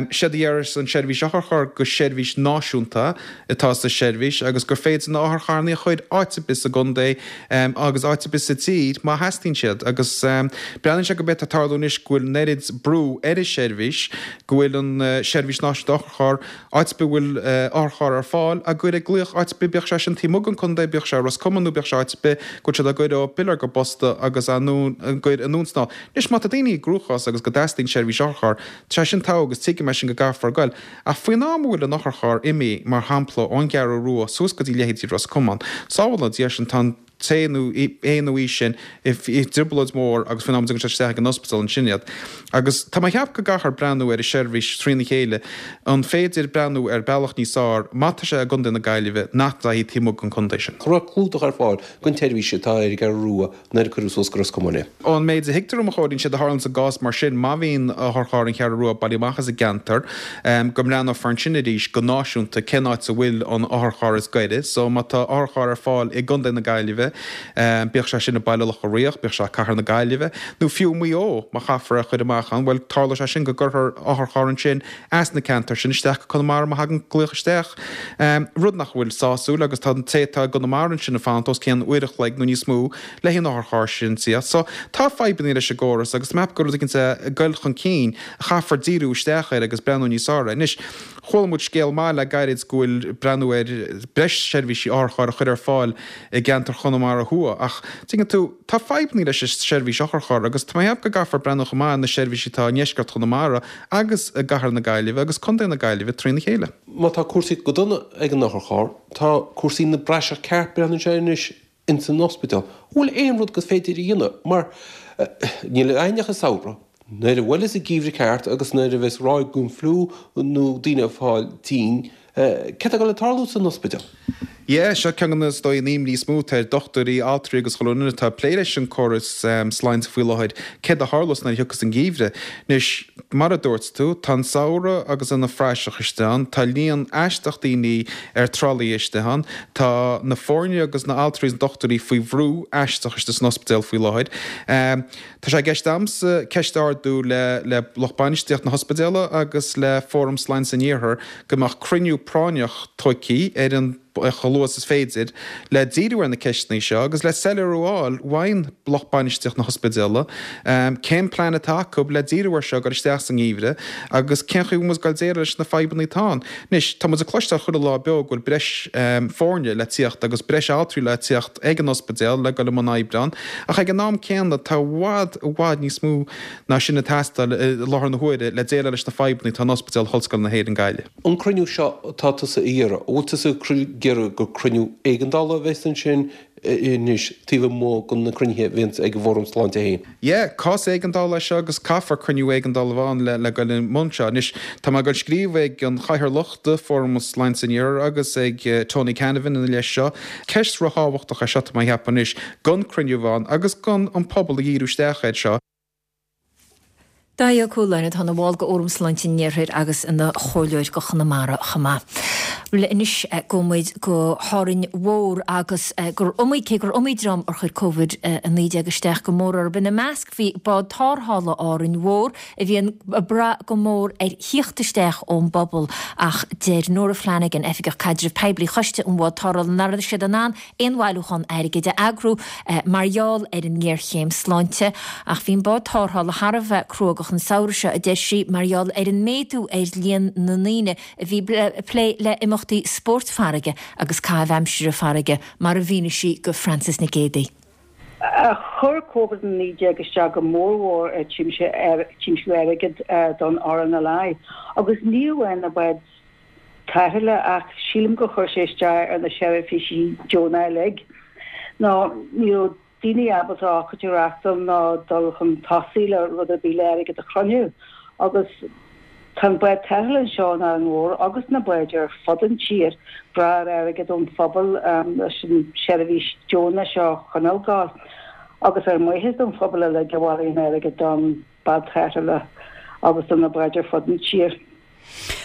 Séard a deireas an tSeirbhís Otharcharr gur seirbhís náisiúnta atá sa seirbhís agus gur féidir na otharcharrannaí a chur áit ar bith sa gcontae agus áit ar bith sa tír má theastaíonn siad. Agus breathnaíonn sé gurb é atá ag tarlú anois go bhfuil an oiread brú ar an seirbhís go bhfuil an Seirbhís Náisiúnta Otharcharr Áit ar bith a bhfuil otharcharr ar fáil, á gcur ag glaoch áit ar bith, bíodh sé sin taobh amuigh den chontae, bíodh sé i Ros Comáin nó bíodh sé áit ar bith, go bhfuil siad á gcur ó piléar go posta agus á gcur anonn is anall. Anois, má tá daoine i gcruachás agus go dteastaíonn seirbhís otharchairr, tá sé sin togha agus tuigim é sin go gcaithfear goil. Ach faoin am a bhfuil an otharcharr imithe, mar shampla, ón gCeathrú Rua suas go dtí leithéidí Ros Comáin, sábháil na Dia sinn, tá an té nó é nó í sin i dtrioblóid mhór agus faoin am a dtugann sé isteach ag an ospidéal ansin iad. Agus tá mé ag ceapadh go gcaithfear breathnú ar an seirbhís trína chéile, an féidir breathnú ar bealach níos fearr má tá sé i gContae na Gaillimhe nach dtéann taobh amuigh den chontae sin. An raibh clúdach ar fáil don tseirbhís atá ar an gCeathrú Rua nuair a cuireadh suas go Ros Comáin é. Ón méid a thuigtear dom, a Chóilín, séard a tharlaíonn i gcás mar sin, má bhíonn otharcharr an Cheathrú Rua bailithe amach as an gceantar, go mbreathnófar ansin arís go náisiúnta cén áit a bhfuil an otharcharr is gaire. So má tá otharcharr ar fáil i gContae na Gaillimhe, bíodh sé sin i Baile Locha Riach, bíodh sé i Cathair na Gaillimhe, nó fiú i Maigh Eo, má chaithfear é a chur amach ann, bhuel, tarlóidh sé sin go gcuirfear otharcharr ansin as na ceantair sin isteach go Conamara má thagann glaoch isteach, rud nach bhfuil sásúil agus tá an té atá i gConamara ansin ag fanacht os cionn uair a chloig nó níos mó le haghaidh an otharchairr sin tíocht. So, tá fadhbanna leis an gcóras agus tá mé ag ceapadh gur rud éicint ag goil chun cinn a chaithfear díriú isteach air agus breathnú níos fearr air. Anois, chuala muid scéal maith le gairid go bhfuil breathnú ar breis seirbhísí otharchairr a chur ar fáil i gceantar Chonamara Thuaidh ach, tuigeann tú, tá fadhbanna leis an seirbhís otharchairr agus tá mé ag ceapadh go gcaithfear breathnú chomh maith ar na seirbhísí atá i ndeisceart Chonamara agus i gcathair na Gaillimhe agus Contae na Gaillimhe trína chéile. Má tá cúrsaí go dona ag an otharcharr, tá cúrsaí ina bpraiseach ceart, breathnaíonn sé anois, ins an ospidéal. An bhfuil aon rud gur féidir a dhéanamh? Mar níl againn ach an samhradh. Nuair a bhuaileas an geimhreadh ceart agus nuair a bheas ráig den fliú nó daoine ag fáil tinn, céard atá ag dul ag tarlú san ospidéal? Yeah, seo ceann de na, is dóigh, an imní is mó atá ar dochtúirí, altraí agus chuile dhuine atá ag plé leis an córas sláinte faoi láthair, céard a tharlós nuair a thiocfas an geimhreadh. Anois, mar a dúirt tú, tá an samhradh agus ina phraiseach istigh ann, tá líon aisteach daoine ar tralaí istigh ann, tá na foirne agus na altraí is na dochtúirí faoi bhrú aisteach istigh san ospidéal faoi láthair. Tá sé i gceist a'msa ceist a ardú le le lucht bainistíocht na hospidéala agus le Fóram Sláinte an Iarthair go mbeadh cruinniú práinneach tóigthí ar an chomh luath is is féidir le díriú ar na ceisteanna seo agus le soiléiriú a fháil uaidh lucht bainistíocht na hospidéala cén plean atá acu le díriú ar seo ag dul isteach sa ngeimhreadh agus cén chaoi a bhfuil muid ag dul déileáil leis na fadhbanna atá ann. Anois, tá muid ag cloisteáil chuile lá beo go bhfuil breis foirne le tíocht agus breis altraí le tíocht ag an ospidéal le dul i mbun oibre ann, ach ag an am céanna tá i bhfad, i bhfad níos mó ná sin ag teastáil i láthair na huaire le déileáil leis na fadhbanna atá in Ospidéal Ollscoile na hÉireann Gaillimh. An cruinniú seo atá tusa a iarraidh, an bhfuil tusa ag iarraidh gur cruinniú éigeandála a bheas ansin anois taobh amuigh de na cruinnithe a bhíonns ag an bhFóram Sláinte féin? Yeah, cás éigeandála é seo agus caithfear cruinniú éigeandála a bheith ann le le goil i mbun seo. Anois, tá mé ag goil scríobh ag an Chathaoirleach de Fóram Sláinte an Iarthair agus ag Tony Canavan ina leith seo. Ceist ríthábhachtach é seo tá mé a cheapadh anois, don cruinniú a bheith ann agus don an pobal a dhíriú isteach air seo. Dáithí Ó Cualáin, atá ina bhall de Fhóram Sláinte an Iarthair agus ina chomhairleoir do Chonamara chomh maith. Bhuel anois gabhfaidh muid go hÁrainn Mhór agus gur iomaí, cé gur iomaí dream ar chuir Covid-19 isteach go mór orthu, ina measc bhí Bád Tarrthála Árainn Mhór a bhíonn ag brath go mór ar thíocht isteach ón bpobal ach deir Nora Flanagan, Oifigeach Caidrimh Poiblí Choiste an Bhád Tarrthála nach raibh siad in ann aon bhailiúchán airgid a eagrú mar gheall ar an ngéarchéim sláinte. Ach bhí an bád tarrthála thar a bheith cruógach an samhradh seo, a deir sí, mar gheall ar an méadú ar líon na ndaoine a bhí ag plé le imeachtaí spóirt farraige agus caitheamh aimsire farraige, mar a mhínigh sí go Frances Nic Géadaigh. Chuir Covid-19 isteach go mórmhór ar tiomsú airgid don RNLI agus ní amháin na báid tarrthála ach sílim gur chuir sé isteach ar na seirbhísí deonacha uilig. Nó ní raibh daoine ábalta ócáid a reachtáil ná dul chun tosaigh le rud ar bith le airgead a chruinniú. Agus tá an bád tarrthála anseo in Árainn Mhór agus na báid ar fud an tír brath ar airgead ón phobal leis an seirbhís deonach seo a choinneáil ag gabháil. Agus ar maitheas don phobal uilig a bhailíonn airgead don bád tarrthála agus do na báid ar fud an tír.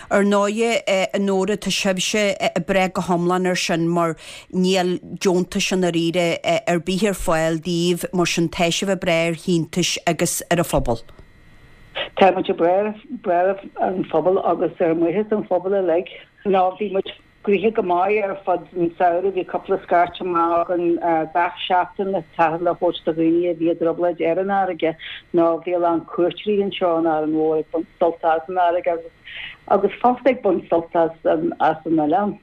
Ar ndóighe, a Nóra, tá sibhse ag brath go hiomlán air sin mar níl deontais i ndáiríre ar bith ar fáil daoibh, mar sin tá sibh ag brath ar shíntiúis agus ar an phobal. Tá muid ag brath ar an phobal agus ar mhaothas an phobail uilig. Nó bhí muid Gnoitheach go maith ar fud an samhradh. Bhí cúpla scairt amach againn gach seachtain le tarrtháil a thabhairt do dhaoine a bhí i dtrioblóid ar an fharraige nó bhí a lán cuairteoirí anseo in Árainn Mhór ag baint sult as an fharraige agus agus fosta ag baint sult as an as an oileán.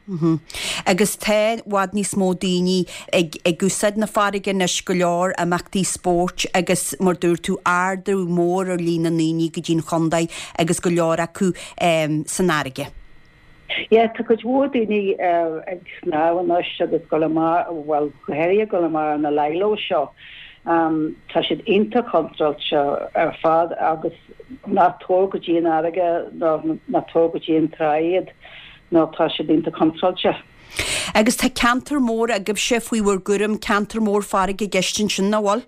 Agus tá i bhfad níos mó daoine ag ag úsáid na farraige anois, go leor imeachtaí spóirt agus mar dúirt tú ardú mór ar líon na ndaoine go dtí an chontae agus go leor acu san fharraige. Yeah, tá cuid mhór daoine ag snámh anois agus dul amach, bhuel, go háirithe ag dul amach ar na lilos seo. Tá siad iontach contráilte ar fad agus ná tabhair go dtí an fharraige nó ná tabhair go dtí an trá iad nó tá siad iontach contráilte. Agus tá ceantar mór agaibhse faoi bhur gcúram, ceantar mór farraige i gceist ansin, nach bhfuil?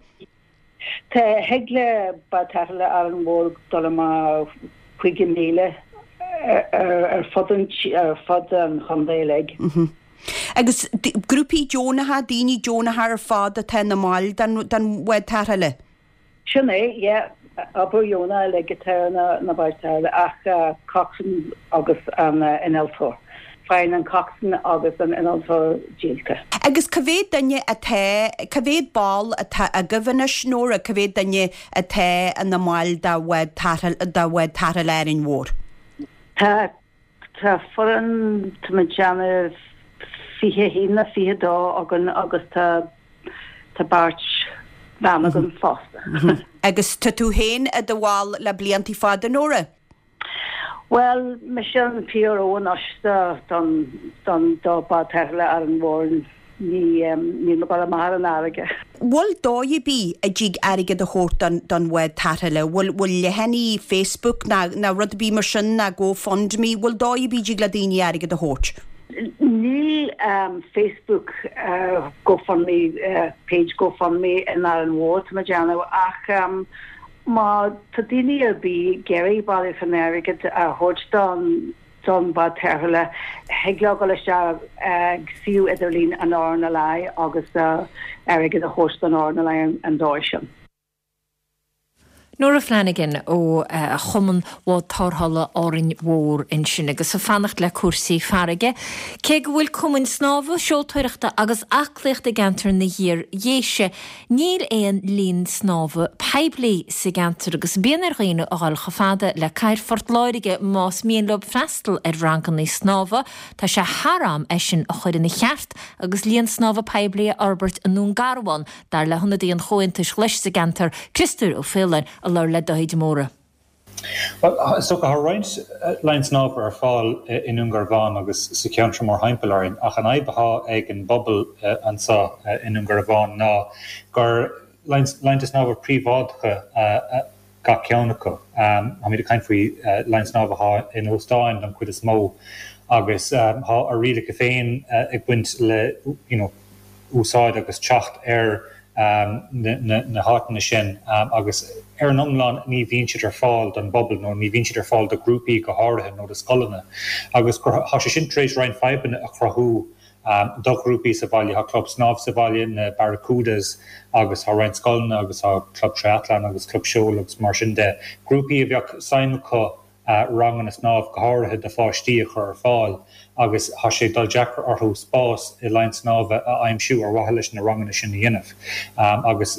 Tá, thig le Bád Tarrthála Árainn Mhór dul amach 50 míle ar fud an ar fud an chontae uilig. Agus grúpaí deonacha, daoine deonacha ar fad atá ina mbaill den den bhád tarrthála? Sin é, yeah. Obair dheonach uilig atá ar na na báid tarrthála ach coxswain agus an innealtóir. Faigheann an coxswain agus an innealtóir díolta. Agus cá mhéad duine atá, cá mhéad ball atá agaibh anois, Nóra, cá mhéad duine atá ina mbaill de bhád tarrthála, de bhád tarrthála Árainn Mhór? Tá, tá foireann, tá mé ag déanamh 21 nó 22 againn agus tá, tá beirt bhean againn fosta. Agus tá tú féin i do bhall le bliantaí fada, Nóra? Bhuel, mise an PRO anois don don do Bád Tarrthála Árainn Mhór. Ní níl mé ag dul amach ar an fharraige. Bhfuil dóigh ar bith a dtig airgead a thabhairt don don bhád tarrthála? Bhfuil bhfuil leathanaigh Facebook ná ná rud ar bith mar sin ná GoFundMe, bhfuil dóigh ar bith a dtig le daoine airgead a thabhairt? Níl Facebook GoFundMe page GoFundMe in Árainn Mhór tá mé ag déanamh ach Má tá daoine ar bith ag iarraidh bailiúchán airgid a thabhairt don don bhád tarrthála, thig leo dul isteach ag suíomh idirlín an RNLI agus airgead a thabhairt don RNLI an dóigh sin. Nóra Flanagan ó Chumann Bhád Tarrthála Árainn Mhór ansin agus ag fanacht le cúrsaí farraige. Cé go bhfuil cumainn snámha, seoltóireachta agus aclaíochta i gceantar na hIar-Dhéise, Níl aon linn snámha poiblí sa gceantar agus bíonn ar dhaoine a dhul chomh fada le cathair Phort Láirge más mian leo freastal ar ranganna snámha. Tá sé thar am é sin a chur ina cheart agus linn snámha poiblí a fhorbairt i nDún Garbhán, dar le hionadaí an Chomhaontais Ghlais sa gceantar, Criostóir Ó Faoláin, a labhair le Dáithí de Mórdha. Bhuel, is dócha, tá roinnt linn snámha ar fáil i nDún Garbhán agus sa cheantar mórthimpeall orainn, ach an fhadhb atá ag an bpobal anseo i nDún Garbhán ná gur linnte snámha príobháideacha gach ceann acu. Táimid ag caint faoi linn snámha atá in óstáin don chuid is mó agus tá a rialacha féin ag baint le you know úsáid agus teacht ar na háiteanna sin agus ar an iomlán ní bhíonn siad ar fáil don bpobal nó ní bhíonn siad ar fáil do ghrúpaí go háirithe nó do scoileanna agus tá sé sin tar éis roinnt fadhbanna a chruthú do ghrúpaí sa bhaile. Tá club snámh sa bhaile, na Barracudas, agus tá roinnt scoileanna agus tá club triathlon agus club seoil agus mar sin de, grúpaí a bheadh suim acu ranganna snámh, go háirithe do pháistí, a chur ar fáil agus tá sé ag dul deacair orthu spás i linn snámha a aimsiú ar mhaithe leis na ranganna sin a dhéanamh. Agus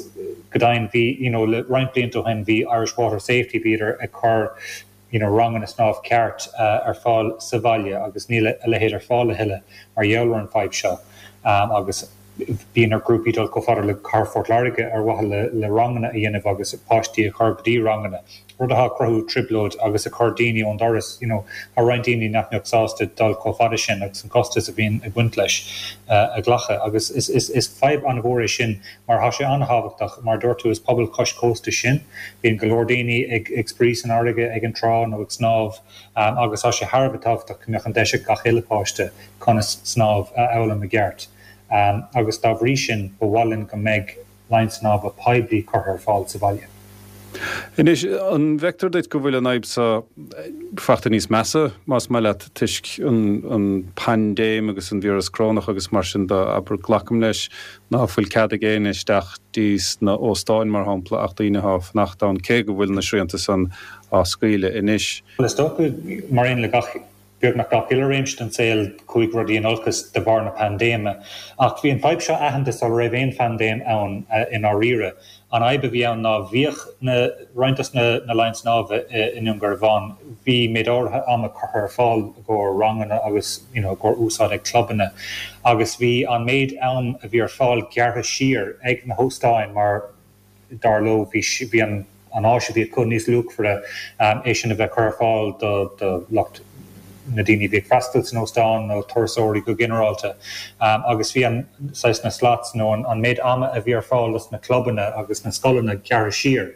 go deimhin bhí, you know, le roinnt blianta ó shin bhí Irish Water Safety, bhíodar ag cur, you know, ranganna snámh ceart ar fáil sa bhaile agus níl a leithéid ar fáil a thuilleadh mar gheall ar an fadhb seo. Agus. Bíonn ar ghrúpaí dul chomh fada le Cathair Phort Láirge ar mhaithe le ranganna a dhéanamh agus páistí a chur go dtí ranganna, rud atá ag cruthú trioblóid agus ag cur daoine ón doras. You know, tá roinnt daoine nach mbeadh sásta dul chomh fada sin agus an costas a bhíonn ag baint leis a ghlacadh. Agus is fadhb an-mhór é sin mar tá sé an-thábhachtach, mar a dúirt tú, is pobal cois cósta sinn, bíonn go leor daoine ag spraoi san fharraige ag an trá nó ag snámh agus tá sé thar a bheith tábhachtach go mbeadh an deis ag gach uile páiste conas snámh a fhoghlaim i gceart. Agus dá bhrí sin, ba mhaith linn go mbeidh linn snámha poiblí curtha ar fáil sa bhaile. Anois, an bhfeictear duit go bhfuil an fhadhb seo fachta níos measa, más maith leat, toisc an paindéim agus an víreas corónach agus mar sin de, abair, glacaim leis ná fuil cead ag éinne isteach dtí sna óstáin, mar shampla, ach daoine athá ag fanacht ann, cé go bhfuil na srianta san á scaoileadh anois. Bhuel, is dócha, mar aon le gach, beagnach gach uile réimse den saol, chuaigh rudaí in olcas de bharr na paindéime. Ach bhí an fadhb seo aitheanta sula raibh aon phaindéim ann i ndáiríre. An fhadhb a bhí ann ná bhíodh na, roinnt dos na na laighin snámha i nDún Garbhán, bhí méid áirithe ama curtha ar fáil i gcomhair ranganna agus you know i gcomhair úsáid ag clubanna agus bhí an méid am a bhí ar fáil gearrtha siar ag na hóstáin mar dar leo, bhí bhí an an áis a bhí acu níos luachmhaire, é sin a bheith curtha ar fáil do do lucht na daoine a bhí ag freastal san óstán nó turasóirí go ginearálta. Agus bhí an saghas na slots nó an an méid ama a bhí ar fáil dos na clubanna agus na scoileanna gearrtha siar.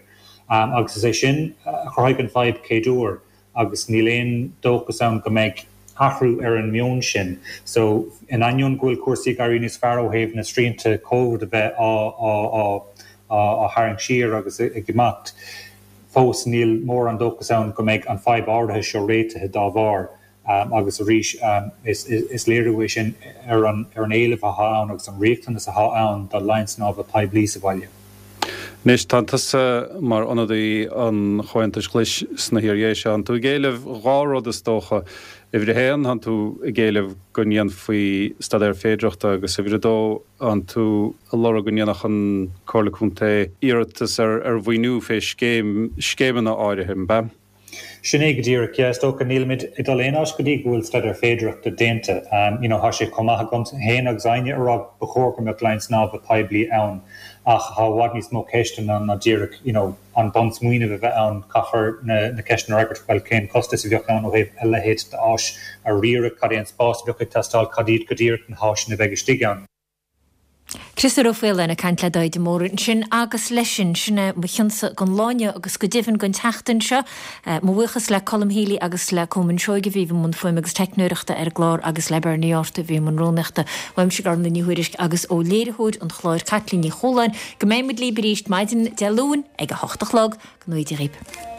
Agus is é sin a chruthaigh an fadhb chéaduair. agus níl aon dóchas ann go mbeidh athrú ar an meon sin. So, in ainneoin go bhfuil cúrsaí ag éirí níos fearr ó thaobh na srianta Covid a bheith á á tharraingt siar agus ag imeacht, fós níl mórán dóchas ann go mbeidh an fadhb áirithe seo réitithe dá bharr. Agus arís, is léiriú é sin ar an éileamh atá ann agus an riachtanas atá ann do laighin snámha poiblí sa bhaile. Anois, tá tusa mar ionadaí an Chomhaontais Ghlais sna hIar-Dhéise. Tánn tú ag éileamh dhá rud is dócha. Uimhir a haon, tánn tú ag éileamh go ndéanfaí staidéar féidearthachta agus uimhir a dó, tánn tú ag lorg go ndéanfadh an Comhairle Contae iarratas ar mhaoiniú fé scéim, scéimeanna áirithe, an b'ea? Sin é go díreach. Yeah, is dócha, nílimid ag dul aon áit go dtí go bhfuil staidéar féidearthachta déanta. You know, tá sé chomh maith agamsa féin agus éinne a rá ba chóir go mbeadh laighin snámha poiblí ann ach tá i bhfad níos mó ceisteanna ann ná díreach, you know, an bunsmaoineamh a bheith ann. Caithfear na na ceisteanna a fhreagairt, bhuel, cén costas a bheadh ann ó thaobh a leithéid d'áis a riaradh, cad é an spás a bheadh ag teastáil, cad iad go díreach na háiseanna a bheidh istigh ann. Criostóir Ó Faoláin ag caint le Daithí de Mórdha ansin agus leis sin, sin é mo chionsa don lá inniu agus go deimhin don tseachtain seo. Mo bhuíochas le Colm Healy agus le Colman Seoige a bhí i mbun fuaime agus teicneoireachta ar an gclár agus le Bernie Arthur a bhí i mbun rúnaíochta. Uaimse Gormlaith Ní Thuairisg agus ó léiritheoir an chláir Caitlín Ní Chualáin go mbeidh muid libh arís maidin Dé Luain ag a hocht a chlog. Go ngnóthaí Dia dhaoibh.